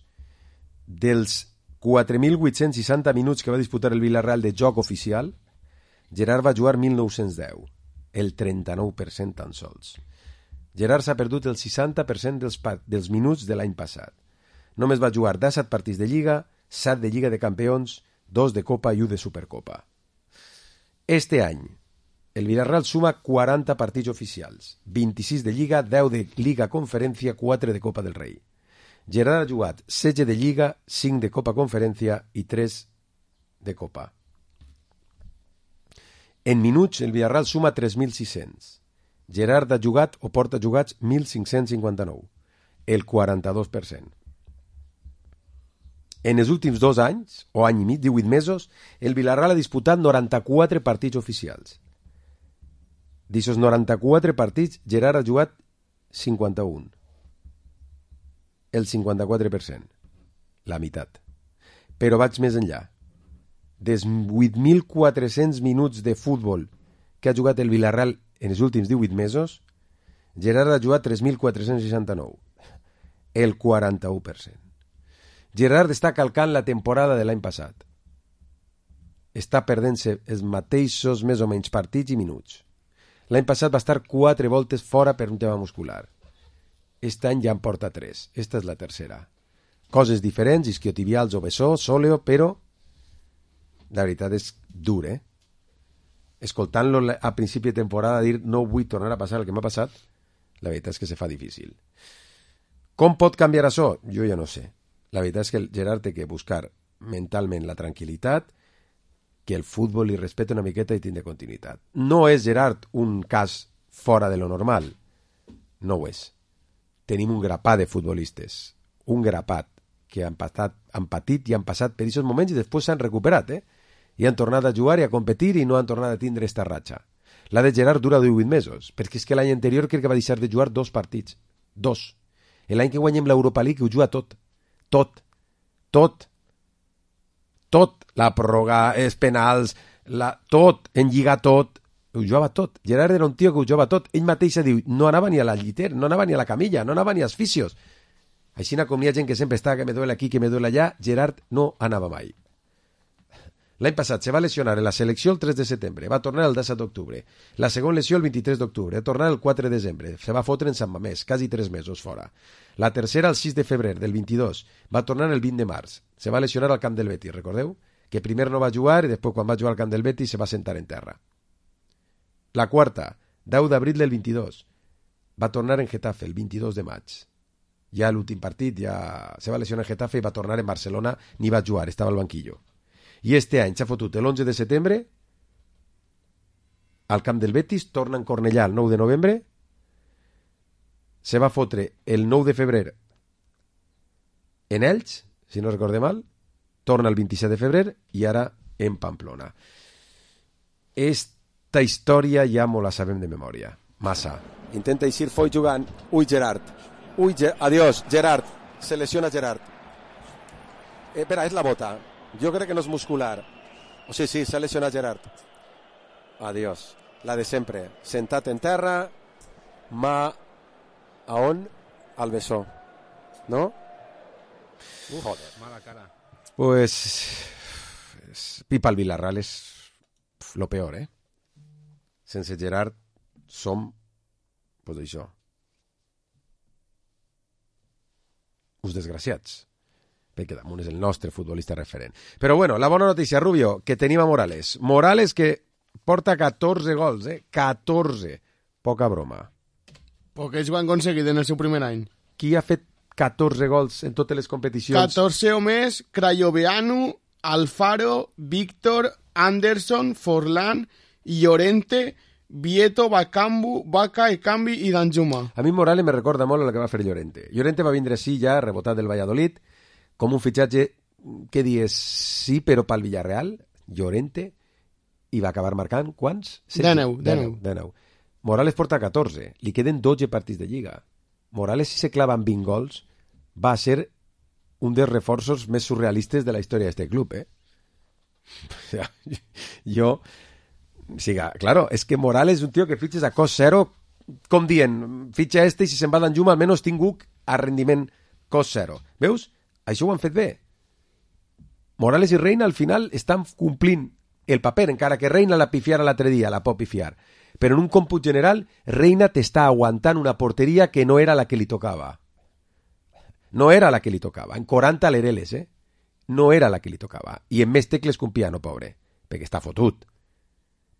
dels quatre mil vuit-cents seixanta minuts que va disputar el Villarreal de joc oficial, Gerard va jugar mil nou-cents deu, el trenta-nou per cent tan sols. Gerard s'ha perdut el seixanta per cent dels, dels minuts de l'any passat. Només va jugar disset partits de Lliga, set de Lliga de Campions, dos de Copa i un de Supercopa. Este any, el Villarreal suma quaranta partits oficials, vint-i-sis de Lliga, deu de Lliga Conferència, quatre de Copa del Rei. Gerard ha jugat setze de Lliga, cinc de Copa Conferència i tres de Copa. En minuts, el Villarreal suma tres mil sis-cents. Gerard ha jugat o porta jugats mil cinc-cents cinquanta-nou, el quaranta-dos per cent. En els últims dos anys, o any i mig, divuit mesos, el Villarreal ha disputat noranta-quatre partits oficials. D'aquests noranta-quatre partits, Gerard ha jugat cinquanta-un. El cinquanta-quatre per cent. La meitat. Però vaig més enllà. Dels vuit mil quatre-cents minuts de futbol que ha jugat el Villarreal en els últims divuit mesos, Gerard ha jugat tres mil quatre-cents seixanta-nou. El quaranta-u per cent. Gerard està calcant la temporada de l'any passat. Està perdent-se els mateixos més o menys partits i minuts. L'any passat va estar quatre voltes fora per un tema muscular. Aquest any ja en porta tres. Esta és la tercera. Coses diferents, isquiotibials o bessó, sòleo, però la veritat és dur, eh? Escoltant-lo a principi de temporada dir no vull tornar a passar el que m'ha passat, la veritat és que se fa difícil. Com pot canviar això? Jo ja no sé. La veritat és que el Gerard té que buscar mentalment la tranquil·litat, que el futbol li respecta una miqueta i tingui continuïtat. No és, Gerard, un cas fora de lo normal. No ho és. Tenim un grapat de futbolistes, un grapat, que han, patat, han patit i han passat per aquests moments i després s'han recuperat, eh? I han tornat a jugar i a competir i no han tornat a tindre esta ratxa. La de Gerard dura divuit mesos, perquè és que l'any anterior crec que va deixar de jugar dos partits. Dos. L'any que guanyem l'Europa League ho juga tot. Tot, tot, tot, la pròrroga, els penals, la, tot, en lligar tot, ho jugava tot. Gerard era un tio que ho jugava tot. Ell mateix diu, no anava ni a la llitera, no anava ni a la camilla, no anava ni als fisios. Així com hi ha gent que sempre està, que me duele aquí, que me duele allà, Gerard no anava mai. L'any passat se va lesionar en la selecció el tres de setembre, va tornar el disset d'octubre. La segona lesió el vint-i-tres d'octubre, va tornar el quatre de desembre, se va fotre en Sant Mamés, quasi tres mesos fora. La tercera el sis de febrer del vint-i-dos, va tornar el vint de març, se va lesionar al camp del Betis, recordeu? Que primer no va jugar i després quan va jugar al camp del Betis se va sentar en terra. La quarta, deu d'abril del vint-i-dos, va tornar en Getafe el vint-i-dos de maig. Ja l'últim partit, ja se va lesionar en Getafe i va tornar en Barcelona, ni va jugar, estava al banquillo. I este any s'ha fotut l'onze de setembre al camp del Betis, torna en Cornellà el nou de novembre, se va fotre el nou de febrer en Elx, si no recorde mal, torna el vint-i-set de febrer i ara en Pamplona. Esta història ja mo la sabem de memòria, massa. Intenta eixir Foy jugant, ui Gerard, ui, Ger adiós, Gerard, se lesiona Gerard. Eh, espera, és la bota. Jo crec que no és muscular. O sí, sí, s'ha lesionat Gerard. Adiós. La de sempre. Sentat en terra, mà a on? Al bessó. No? Uf, joder, mala cara. Pues es, Pipa al Villarreal és lo peor, eh? Sense Gerard som, pues això, uns desgraciats, perquè damunt és el nostre futbolista referent. Però bueno, la bona notícia, Rubio, que tenim a Morales. Morales que porta catorze gols, eh? catorze. Poca broma. Poquets ho han aconseguit en el seu primer any. Qui ha fet catorze gols en totes les competicions? catorze o més, Crayoveanu, Alfaro, Víctor, Anderson, Forlán, Llorente, Vieto, Bakambu, Vaca, Ekambi i Danjuma. A mi Morales me recorda molt el que va fer Llorente. Llorente va vindre així ja, rebotat del Valladolid, com un fitxatge, què dies, sí, però pel Villarreal, Llorente, i va acabar marcant, quants? Deu, deu. Deu. Morales porta catorze, li queden dotze partits de Lliga. Morales, si se clava amb vint gols, va ser un dels reforços més surrealistes de la història d'aquest club, eh? O sea, jo... Siga, claro, es que Morales és un tio que fitxes a cost zero, com dient, fitxa este i si se'n va d'Anjuma almenys tingut a rendiment cost zero. Veus? Això ho han fet bé. Morales i Reina al final estan complint el paper, encara que Reina la pifiara l'altre dia, la pot pifiar. Però en un còmput general, Reina t'està aguantant una porteria que no era la que li tocava. No era la que li tocava. En quaranta lereles, eh? No era la que li tocava. I en més tecles que un piano, pobre. Perquè està fotut.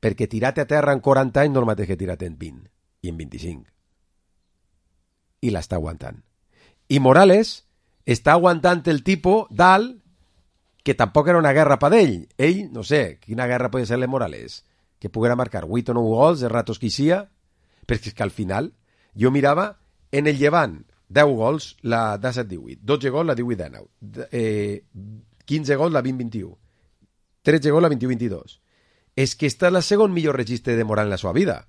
Perquè tirar-te a terra en quaranta anys no el mateix que tirar-te en vint i en vint-i-cinc. I l'està aguantant. I Morales està aguantant el tipus dalt que tampoc era una guerra per ell. Ell, no sé, quina guerra pot ser-li Morales? Que poguera marcar vuit o nou gols, de ratos que hi sia, perquè és que al final jo mirava en el Llevant deu gols la disset divuit, dotze gols la divuit dinou, eh, quinze gols la vint vint-i-u, tretze gols la vint-i-u vint-i-dos. És que està la segon millor registre de Morales en la seva vida.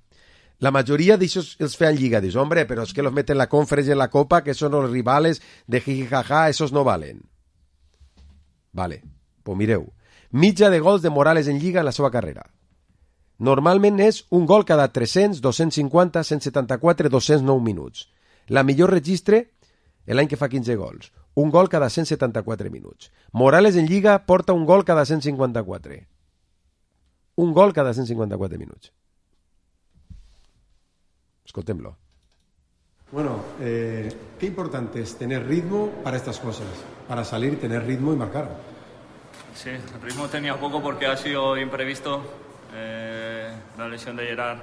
La majoria d'aixòs els feien lliga. Dius, hombre, però és que los meten la Conference en la Copa, que són els rivales de jijijaja, esos no valen. Vale, pues mireu. Mitja de gols de Morales en lliga en la seva carrera. Normalment és un gol cada tres-cents, dos-cents cinquanta, cent setanta-quatre, dos-cents nou minuts. La millor registre, l'any que fa quinze gols. Un gol cada cent setanta-quatre minuts. Morales en lliga porta un gol cada cent cinquanta-quatre. Un gol cada cent cinquanta-quatre minuts. Escoltem-lo. Bueno, eh, qué importante es tener ritmo para estas cosas, para salir, tener ritmo y marcar. Sí, el ritmo tenía poco porque ha sido imprevisto. Eh, la lesión de Gerard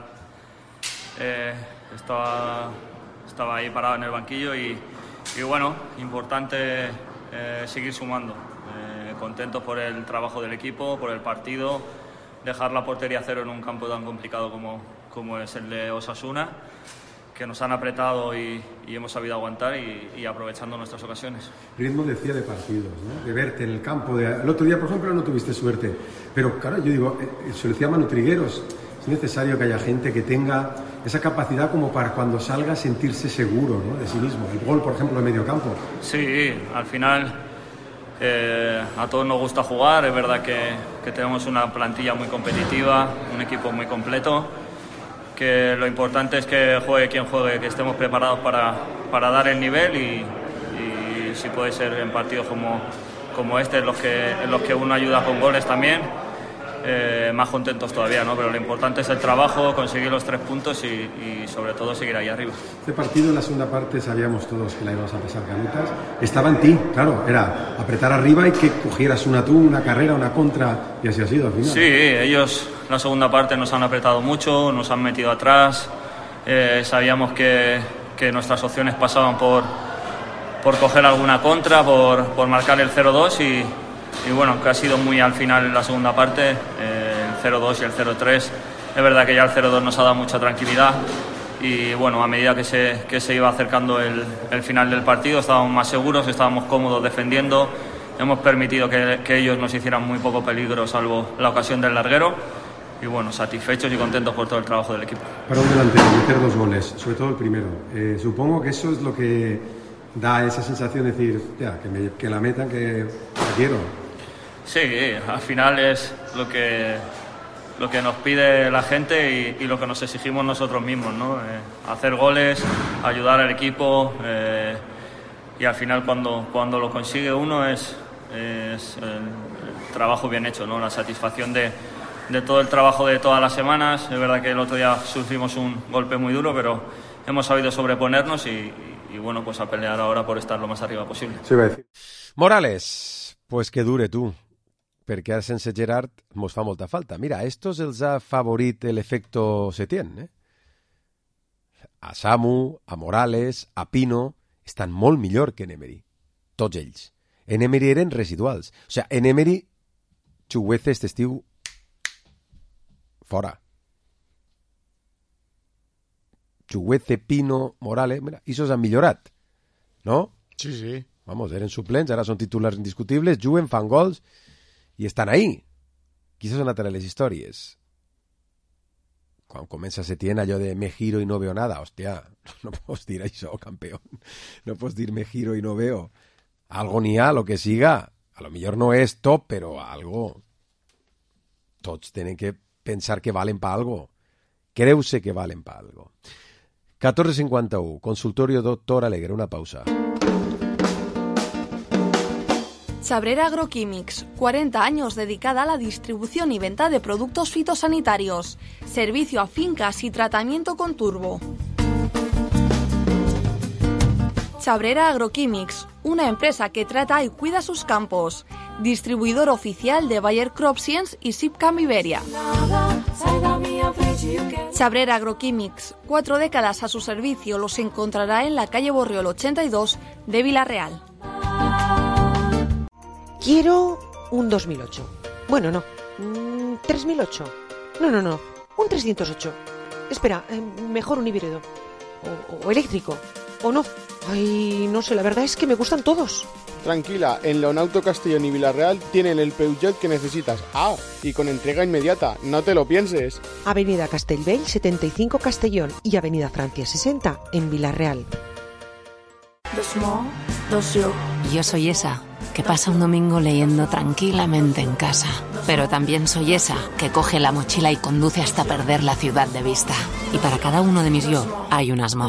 eh, estaba, estaba ahí parado en el banquillo y, y bueno, importante eh, seguir sumando. Eh, contentos por el trabajo del equipo, por el partido, dejar la portería a cero en un campo tan complicado como, como es el de Osasuna, que nos han apretado y, y hemos sabido aguantar y, y aprovechando nuestras ocasiones. Ritmo decía de partidos, ¿no? De verte en el campo. De... El otro día, por ejemplo, no tuviste suerte. Pero claro, yo digo, eh, se lo decía Manu Trigueros, es necesario que haya gente que tenga esa capacidad como para cuando salga sentirse seguro, ¿no? De sí mismo. El gol, por ejemplo, de medio campo. Sí, al final eh, a todos nos gusta jugar. Es verdad que, que tenemos una plantilla muy competitiva, un equipo muy completo. Que lo importante es que juegue quien juegue, que estemos preparados para, para dar el nivel y, y si puede ser en partidos como, como este, en los, que, en los que uno ayuda con goles también, eh, más contentos todavía, ¿no? Pero lo importante es el trabajo, conseguir los tres puntos y, y sobre todo seguir ahí arriba. Este partido en la segunda parte sabíamos todos que la íbamos a pasar canutas. Estaba en ti, claro, era apretar arriba y que cogieras una tú, una carrera, una contra, y así ha sido al final. Sí, ellos la segunda parte nos han apretado mucho, nos han metido atrás, eh, sabíamos que, que nuestras opciones pasaban por, por coger alguna contra, por, por marcar el cero dos y, y bueno, que ha sido muy al final en la segunda parte, eh, el cero dos y el cero tres, es verdad que ya el cero dos nos ha dado mucha tranquilidad y bueno, a medida que se, que se iba acercando el, el final del partido estábamos más seguros, estábamos cómodos defendiendo, hemos permitido que, que ellos nos hicieran muy poco peligro salvo la ocasión del larguero. Y bueno, satisfechos y contentos por todo el trabajo del equipo. Para un delantero, meter dos goles, sobre todo el primero. Eh, supongo que eso es lo que da esa sensación de decir, ya, que, me, que la metan, que la quiero. Sí, al final es lo que, lo que nos pide la gente y, y lo que nos exigimos nosotros mismos, ¿no? Eh, hacer goles, ayudar al equipo eh, y al final cuando, cuando lo consigue uno es, es el, el trabajo bien hecho, ¿no? La satisfacción de de todo el trabajo de todas las semanas. Es verdad que el otro día sufrimos un golpe muy duro, pero hemos sabido sobreponernos y, y, y bueno, pues a pelear ahora por estar lo más arriba posible. Sí, va a decir. Morales, pues que dure tu, perquè ara sense Gerard mos fa molta falta. Mira, a estos els ha favorit l'efecto Setién, eh? a Samu, a Morales, a Pino, estan molt millor que en Emery. Tots ells. En Emery eren residuals. O sigui, en Emery, Chukwueze este estiu fora. Chukwueze, Pino, Morales, mira, esos han millorat, no? Sí, sí. Vamos, eren suplents, ara són titulars indiscutibles, juguen, fan gols i estan ahí. Quizás son a les històries. Quan comença Setién allò de me giro i no veo nada, hòstia, no pots dir això, campeón. No pots dir me giro i no veo. Algo n'hi ha, lo que siga. A lo millor no és top, però algo. Tots tenen que pensar que valen pa algo. Creu-se que valen pa algo. catorze cincuenta y uno, consultorio doctor Alegre, una pausa. Chabrera Agroquímics, cuarenta años dedicada a la distribución y venta de productos fitosanitarios, servicio a fincas y tratamiento con turbo. Chabrera Agroquímics, una empresa que trata y cuida sus campos, distribuidor oficial de Bayer Crop Science y Sipcam Iberia. Chabrera Agroquímics, cuatro décadas a su servicio, los encontrará en la calle Borriol ochenta y dos de Villarreal. Quiero un dos mil ocho. Bueno, no. Mm, tres mil ocho. No, no, no. Un trescientos ocho. Espera, eh, mejor un híbrido. O, o eléctrico. O no. Ay, no sé, la verdad es que me gustan todos. Tranquila, en Leonauto Castellón y Villarreal tienen el Peugeot que necesitas. Ah, y con entrega inmediata, no te lo pienses. Avenida Castellbell setenta y cinco Castellón y Avenida Francia sesenta en Villarreal. Dos mo, dos yo. Yo soy esa que pasa un domingo leyendo tranquilamente en casa. Pero también soy esa que coge la mochila y conduce hasta perder la ciudad de vista. Y para cada uno de mis yo hay unas mo.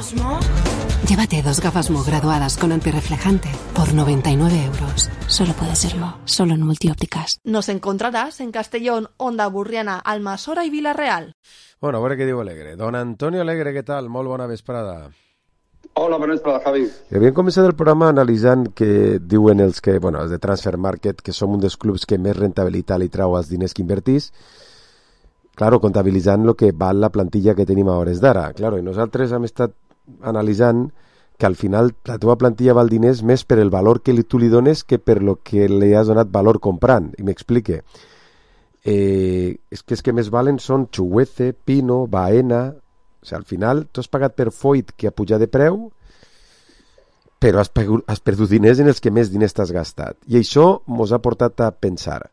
Llévate dos gafas Mo graduadas con antirreflejante por noventa y nueve euros. Solo puede ser Mo, solo en Multiópticas. Nos encontrarás en Castellón, Onda Burriana, Almasora y Villarreal. Bueno, a veure què diu Alegre. Don Antonio Alegre, què tal? Molt bona vesprada. Hola, bona vesprada, Javi. Havíem començat el programa analitzant que diuen els que, bueno, els de Transfer Market, que som un dels clubs que més rentabilitat li trau als diners que invertís. Claro, comptabilitzant el que val la plantilla que tenim a hores d'ara. Claro, i nosaltres hem estat analitzant que al final la teva plantilla val diners més per el valor que li, tu li dones que per lo que li has donat valor comprant. I m'explique. Eh, és que els que més valen són Chukwueze, Pino, Baena. O sigui, al final tu has pagat per Foyt que ha pujat de preu, però has, pagut, has perdut diners en els que més diners t'has gastat. I això mos ha portat a pensar,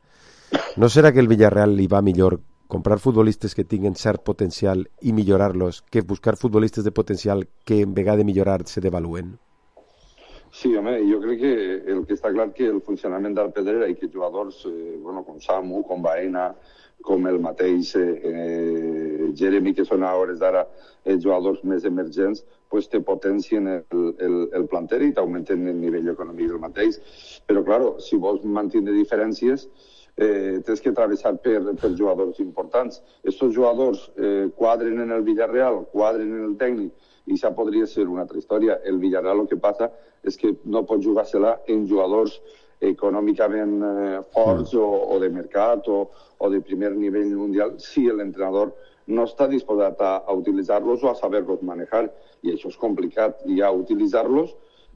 no serà que el Villarreal li va millor comprar futbolistes que tinguen cert potencial i millorar-los que buscar futbolistes de potencial que en vegada de millorar se devaluen? Sí, home, jo crec que el que està clar que el funcionament del Pedrera i que jugadors eh, bueno, com Samu, com Baena, com el mateix eh, Jeremy, que són a hores d'ara els jugadors més emergents, pues te potencien el, el, el planter i t'augmenten el nivell econòmic del mateix. Però, claro, si vols mantenir diferències, eh, tens que travessar per, per jugadors importants. Estos jugadors eh, quadren en el Villarreal, quadren en el tècnic, i això podria ser una altra història. El Villarreal el que passa és que no pot jugar-se-la en jugadors econòmicament eh, forts o, o de mercat o, o de primer nivell mundial si l'entrenador no està disposat a, a utilitzar-los o a saber-los manejar. I això és complicat, i a utilitzar-los,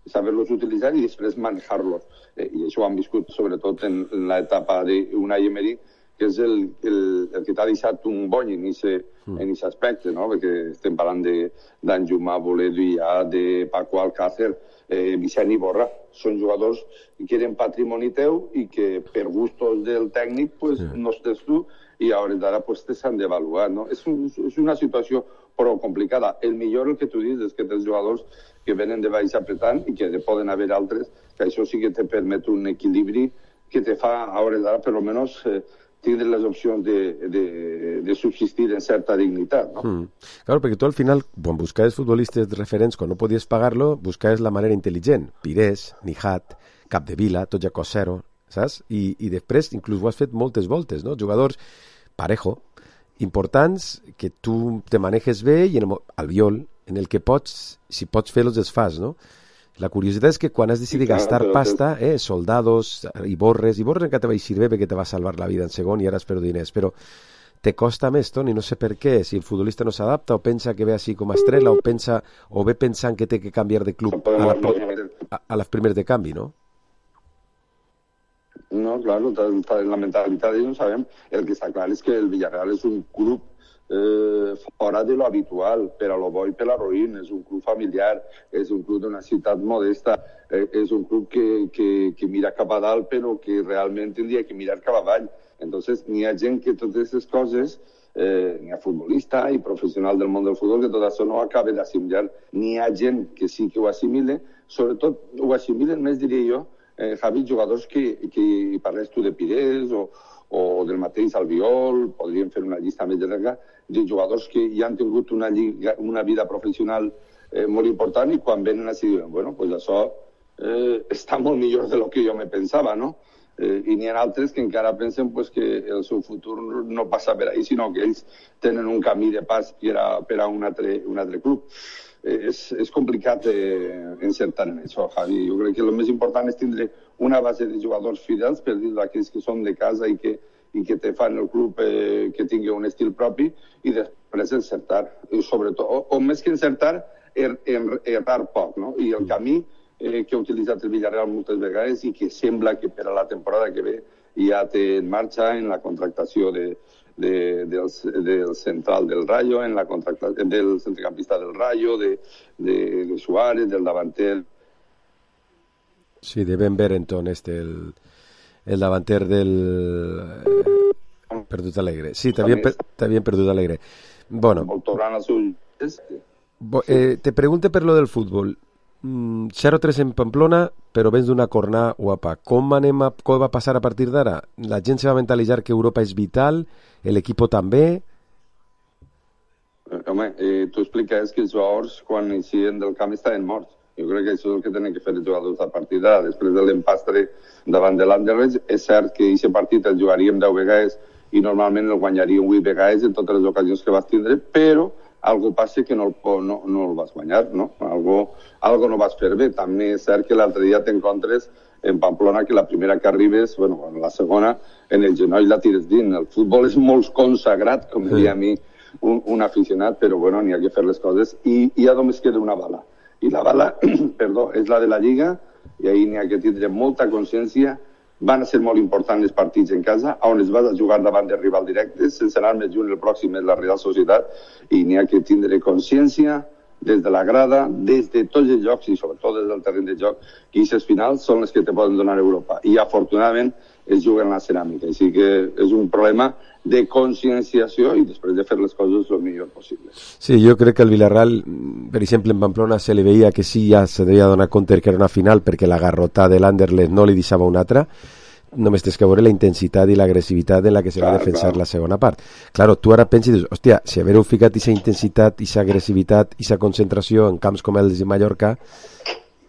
saber-los utilitzar i després manejar-los. Eh, I això ho han viscut sobretot en, en l'etapa d'Unai Emery, que és el, el, el que t'ha deixat un bony en aquest aspecte, no? Perquè estem parlant d'Anjuma, Boleduia, de Paco Alcácer, eh, Vicent Iborra. Són jugadors que eren patrimoni teu i que per gustos del tècnic pues, sí. no estàs tu i a hores d'ara pues, te s'han d'avaluar. No? És, un, és una situació prou complicada. El millor el que tu dius és que tens jugadors que venen de baix apretant i que poden haver altres, que això sí que te permet un equilibri que te fa a hores d'ara per almenys eh, tindre les opcions de, de, de subsistir en certa dignitat, no? Mm. Claro, perquè tu al final, quan buscaves futbolistes referents, quan no podies pagar-lo, buscaves la manera intel·ligent. Pires, Nijat, Capdevila, tot ja cost zero, saps? I, i després inclús ho has fet moltes voltes, no? Jugadors parejo, importants, que tu te manejes bé i en el, Albiol, en el que pots, si pots fer-los, els fas, no? La curiositat és que quan has decidit sí, clar, gastar pasta, eh, soldados, Iborres, Iborres encara te va eixir bé perquè te va salvar la vida en segon i ara espero diners, però te costa més, Toni, no sé per què, si el futbolista no s'adapta o pensa que ve així com a estrella o pensa o ve pensant que té que canviar de club a, la, a, a les primeres de canvi, ¿no? No, claro, la mentalitat no sabem. El que està clar és que el Villarreal és un club eh, fora de lo habitual, per a lo bo i per a lo ruïn. És un club familiar, és un club d'una ciutat modesta, eh, és un club que, que, que mira cap a dalt, però que realment tindria que mirar cap avall. Entonces, n'hi ha gent que totes aquestes coses, eh, n'hi ha futbolista i professional del món del futbol, que tot això no ho acaba d'assimilar. N'hi ha gent que sí que ho assimile, sobretot ho assimilen més, diria jo, eh, Javi, jugadors que, que parles tu de Pires o, o del mateix Albiol, podríem fer una llista més llarga, de jugadors que ja han tingut una, lliga, una vida professional eh, molt important i quan venen així diuen, bueno, pues això eh, està molt millor de lo que jo me pensava, no? Eh, I n'hi ha altres que encara pensen pues, que el seu futur no passa per ahí, sinó que ells tenen un camí de pas per a, per a un, altre, un altre club. Eh, és, és complicat eh, encertar en això, Javi. Jo crec que el més important és tindre una base de jugadors fidels, per dir aquells que són de casa i que, i que te fan el club eh, que tingui un estil propi, i després encertar. I sobretot, o, o més que encertar, er, er, errar poc, no? I el camí eh, que ha utilitzat el Villarreal moltes vegades i que sembla que per a la temporada que ve ja té en marxa en la contractació de, de, del, del central del Rayo, en la contractació del centrocampista del Rayo, de, de, de Suárez, del davanter. Sí, de Ben Berenton, este, el, el davanter del... Eh, perdut Alegre. Sí, t'havien per, perdut Alegre. Bueno. Eh, te pregunte per lo del futbol. cero tres en Pamplona, però vens d'una cornada guapa. Com, anem a, com va passar a partir d'ara? La gent se va mentalitzar que Europa és vital, l'equip també? Home, eh, tu expliques que els jugadors quan eixien del camp estaven morts. Jo crec que això és el que tenen que fer els jugadors a partir d'ara. Després de l'empastre davant de l'Anderlecht, és cert que aquest partit el jugaríem deu vegades i normalment el guanyaríem vuit vegades en totes les ocasions que vas tindre, però algo passa que no el, no, no el vas guanyar, no? Algo, algo no vas fer bé. També és cert que l'altre dia t'encontres en Pamplona que la primera que arribes, bueno, la segona, en el genoll la tires dins. El futbol és molt consagrat, com diria a mi un, un aficionat, però bueno, n'hi ha que fer les coses i, i ja només queda una bala. I la bala, perdó, és la de la Lliga, i ahir n'hi ha que tindre molta consciència. Van a ser molt importants els partits en casa, on es vas a jugar davant de rival directes, sense anar més lluny, el pròxim és la Real Societat, i n'hi ha que tindre consciència des de la grada, des de tots els jocs i sobretot des del terreny de joc, que aquestes finals són les que te poden donar Europa. I afortunadament es juguen la ceràmica, així que és un problema de conscienciació i després de fer les coses el millor possible. Sí, jo crec que el Villarreal, per exemple, en Pamplona se li veia que sí, ja se devia donar compte que era una final perquè la garrotà de l'Anderlecht no li deixava una altra. Només tens que veure la intensitat i l'agressivitat en la que se clar, va defensar clar. La segona part. Claro, tu ara penses i dius, hòstia, si haver-ho ficat aquesta intensitat, aquesta agressivitat, aquesta concentració en camps com els de Mallorca,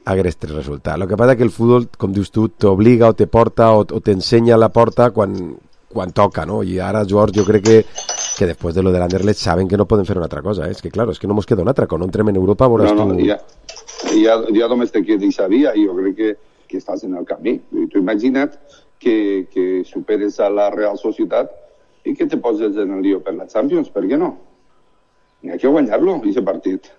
hagués tres resultats. El que passa que el futbol, com dius tu, t'obliga o te porta o, o t'ensenya la porta quan, quan toca, no? I ara els jugadors jo crec que, que després de lo de l'Anderlecht saben que no poden fer una altra cosa, eh? És que claro, és que no mos queda una altra, quan no entrem en Europa veuràs no, no, tu... Ja, ja, ja només te quedes sabia i jo crec que, que estàs en el camí. Tu imagina't que, que superes a la Real Societat i que te poses en el lío per la Champions, per què no? N'hi ha que guanyar-lo, aquest partit.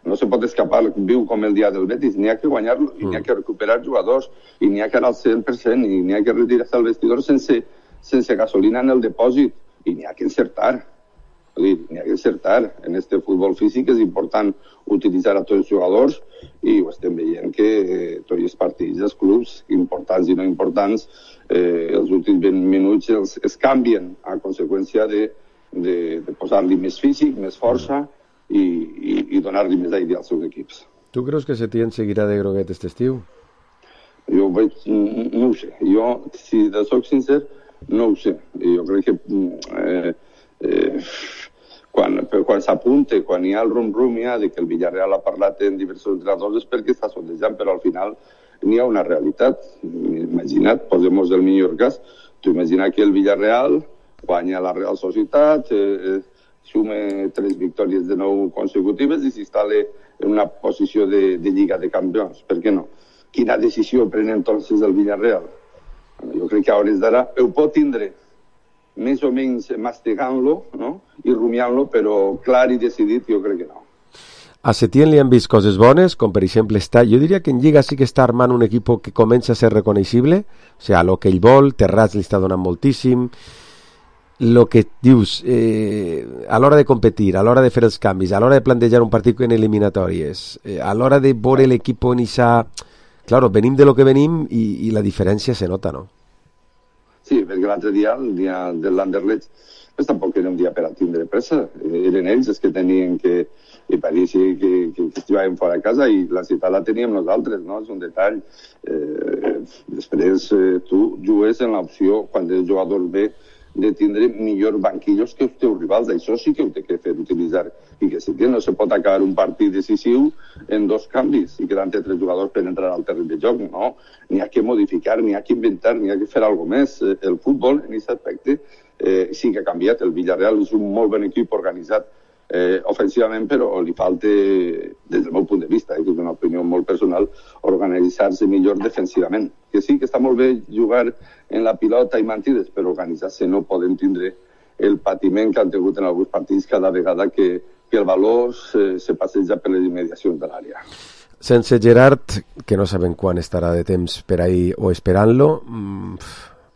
No se pot escapar, viu com el dia del Betis, n'hi ha que guanyar-lo, i n'hi ha que recuperar jugadors, i n'hi ha que anar al cent per cent, i n'hi ha que retirar-se al vestidor sense, sense gasolina en el depòsit, i n'hi ha que encertar. N'hi ha que encertar. En este futbol físic és important utilitzar a tots els jugadors, i ho estem veient que eh, tots els partits dels clubs, importants i no importants, eh, els últims vint minuts els, es canvien a conseqüència de, de, de posar-li més físic, més força, i, i, i donar-li més aire als seus equips. Tu creus que Setién seguirà de groguet aquest estiu? Jo veig, no ho sé. Jo, si de soc sincer, no ho sé. Jo crec que eh, eh, quan, quan s'apunte, quan hi ha el rum-rum ja de que el Villarreal ha parlat en diversos entrenadors és perquè està sondejant, però al final n'hi ha una realitat. Imagina't, posem-nos el millor cas, tu imagina que el Villarreal guanya la Real Societat, eh, sume tres victòries de nou consecutives i s'instal·la en una posició de, de Lliga de Campions. Per què no? Quina decisió pren entonces el Villarreal? Jo crec que a hores d'ara ho pot tindre. més o menys mastigant-lo, no? I rumiant-lo, però clar i decidit jo crec que no. A Setién li han vist coses bones, com per exemple està, jo diria que en Lliga sí que està armant un equip que comença a ser reconeixible, o sigui, el que ell vol, Terrats li està donant moltíssim, el que dius, eh, a l'hora de competir, a l'hora de fer els canvis, a l'hora de plantejar un partit en eliminatòries, eh, a l'hora de veure l'equip en ixa... Claro, venim de lo que venim i, i la diferència se nota, no? Sí, perquè l'altre dia, el dia de l'Anderlecht, pues tampoc era un dia per a tindre pressa. Eren ells els que tenien que... i pareixia que, que, que estiguem fora de casa i la ciutat la teníem nosaltres, no? És un detall. Eh, després eh, tu jugues en l'opció, quan el jugador ve, de tindre millors banquillos que els teus rivals. Això sí que ho té que fer utilitzar. I que si no se pot acabar un partit decisiu en dos canvis i quedant-te tres jugadors per entrar al terreny de joc. No, n'hi ha que modificar, n'hi ha que inventar, n'hi ha que fer alguna més. El futbol, en aquest aspecte, eh, sí que ha canviat. El Villarreal és un molt bon equip organitzat Eh, ofensivament, però li falta, des del meu punt de vista, eh, que és una opinió molt personal, organitzar-se millor defensivament. Que sí, que està molt bé jugar en la pilota i mentides, però organitzar-se no poden tindre el patiment que han tingut en alguns partits cada vegada que, que el valor se, se passeja per les immediacions de l'àrea. Sense Gerard, que no sabem quan estarà de temps per ahir o esperant-lo, mmm,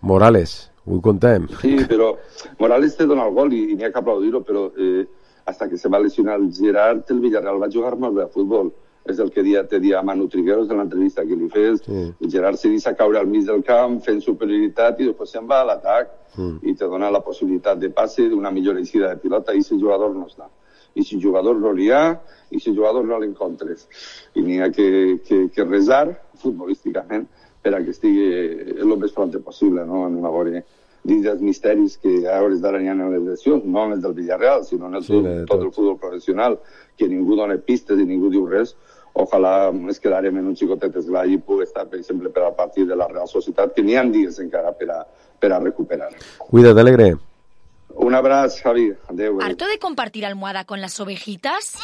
Morales, ho contem. Sí, però Morales té donat el gol i, i n'hi ha que aplaudir-ho, però... Eh, hasta que se va lesionar el Gerard, el Villarreal va jugar molt bé a futbol. És el que dia, te dia a Manu Trigueros en l'entrevista que li fes. Sí. El Gerard se deixa caure al mig del camp fent superioritat i després se'n va a l'atac mm. i te dona la possibilitat de passe, d'una millor eixida de pilota, i si jugador no està. I si jugador no n'hi ha, i si jugador no l'encontres. I n'hi ha que, que, que resar futbolísticament per a que estigui el més pront possible, no? En una bona... dins dels misteris que a hores d'ara n'hi ha en les lesions, no en els del Villarreal, sinó en el sí, tot, tot el futbol professional, que ningú dona pistes i ningú diu res. Ojalà es quedarem en un xicotet esglai i pugui estar, per exemple, per al partit de la Real Societat, que n'hi ha dies encara per a, per a recuperar. Cuida't, Alegre. Un abraç, Javi. Adéu. ¿Harto de compartir almohada con las ovejitas?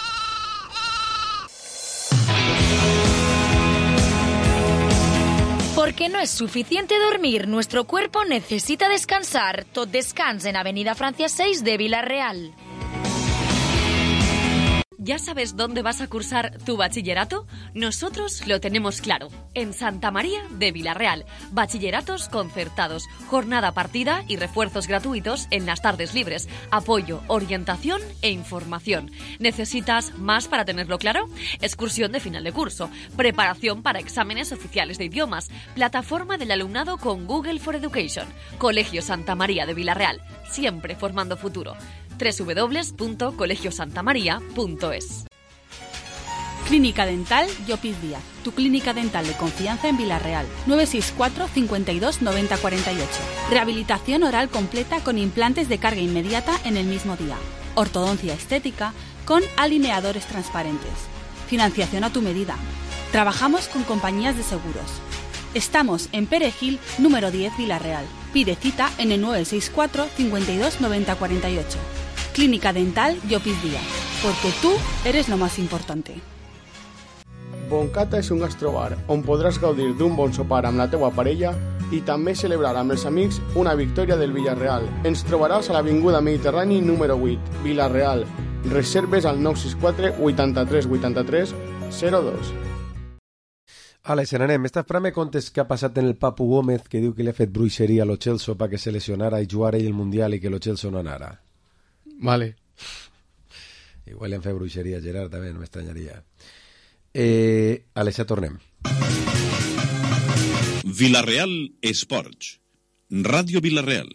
Porque no es suficiente dormir, nuestro cuerpo necesita descansar. Tot descans en Avenida Francia seis de Villarreal. ¿Ya sabes dónde vas a cursar tu bachillerato? Nosotros lo tenemos claro. En Santa María de Villarreal. Bachilleratos concertados, jornada partida y refuerzos gratuitos en las tardes libres. Apoyo, orientación e información. ¿Necesitas más para tenerlo claro? Excursión de final de curso. Preparación para exámenes oficiales de idiomas. Plataforma del alumnado con Google for Education. Colegio Santa María de Villarreal. Siempre formando futuro. doble u doble u doble u punto colegio santa maría punto es. Clínica Dental Llopis Díaz, tu clínica dental de confianza en Villarreal. nueve seis cuatro, cincuenta y dos, noventa, cuarenta y ocho. Rehabilitación oral completa con implantes de carga inmediata en el mismo día. Ortodoncia estética con alineadores transparentes. Financiación a tu medida. Trabajamos con compañías de seguros. Estamos en Perejil, número diez, Villarreal. Pide cita en el nueve seis cuatro, cincuenta y dos, noventa, cuarenta y ocho. Clínica Dental Llopis Díaz, porque tú eres lo más importante. Boncata és un gastrobar on podràs gaudir d'un bon sopar amb la teua parella i també celebrar amb els amics una victòria del Villarreal. Ens trobaràs a l'Avinguda Mediterrani número vuit, Villarreal. Reserves al nou sis quatre, vuitanta-tres, vuitanta-tres, zero dos. Alex, n'anem. Esta fra me contes què ha passat en el Papu Gómez, que diu que li ha fet bruixeria a lo Chelsea perquè se lesionara i jugara ell el Mundial i que lo Chelsea no anara. Vale. Igual li han fet bruixeria a Gerard també, no m'estranyaria. Eh, Alex, ja tornem. Villarreal Esports. Ràdio Villarreal.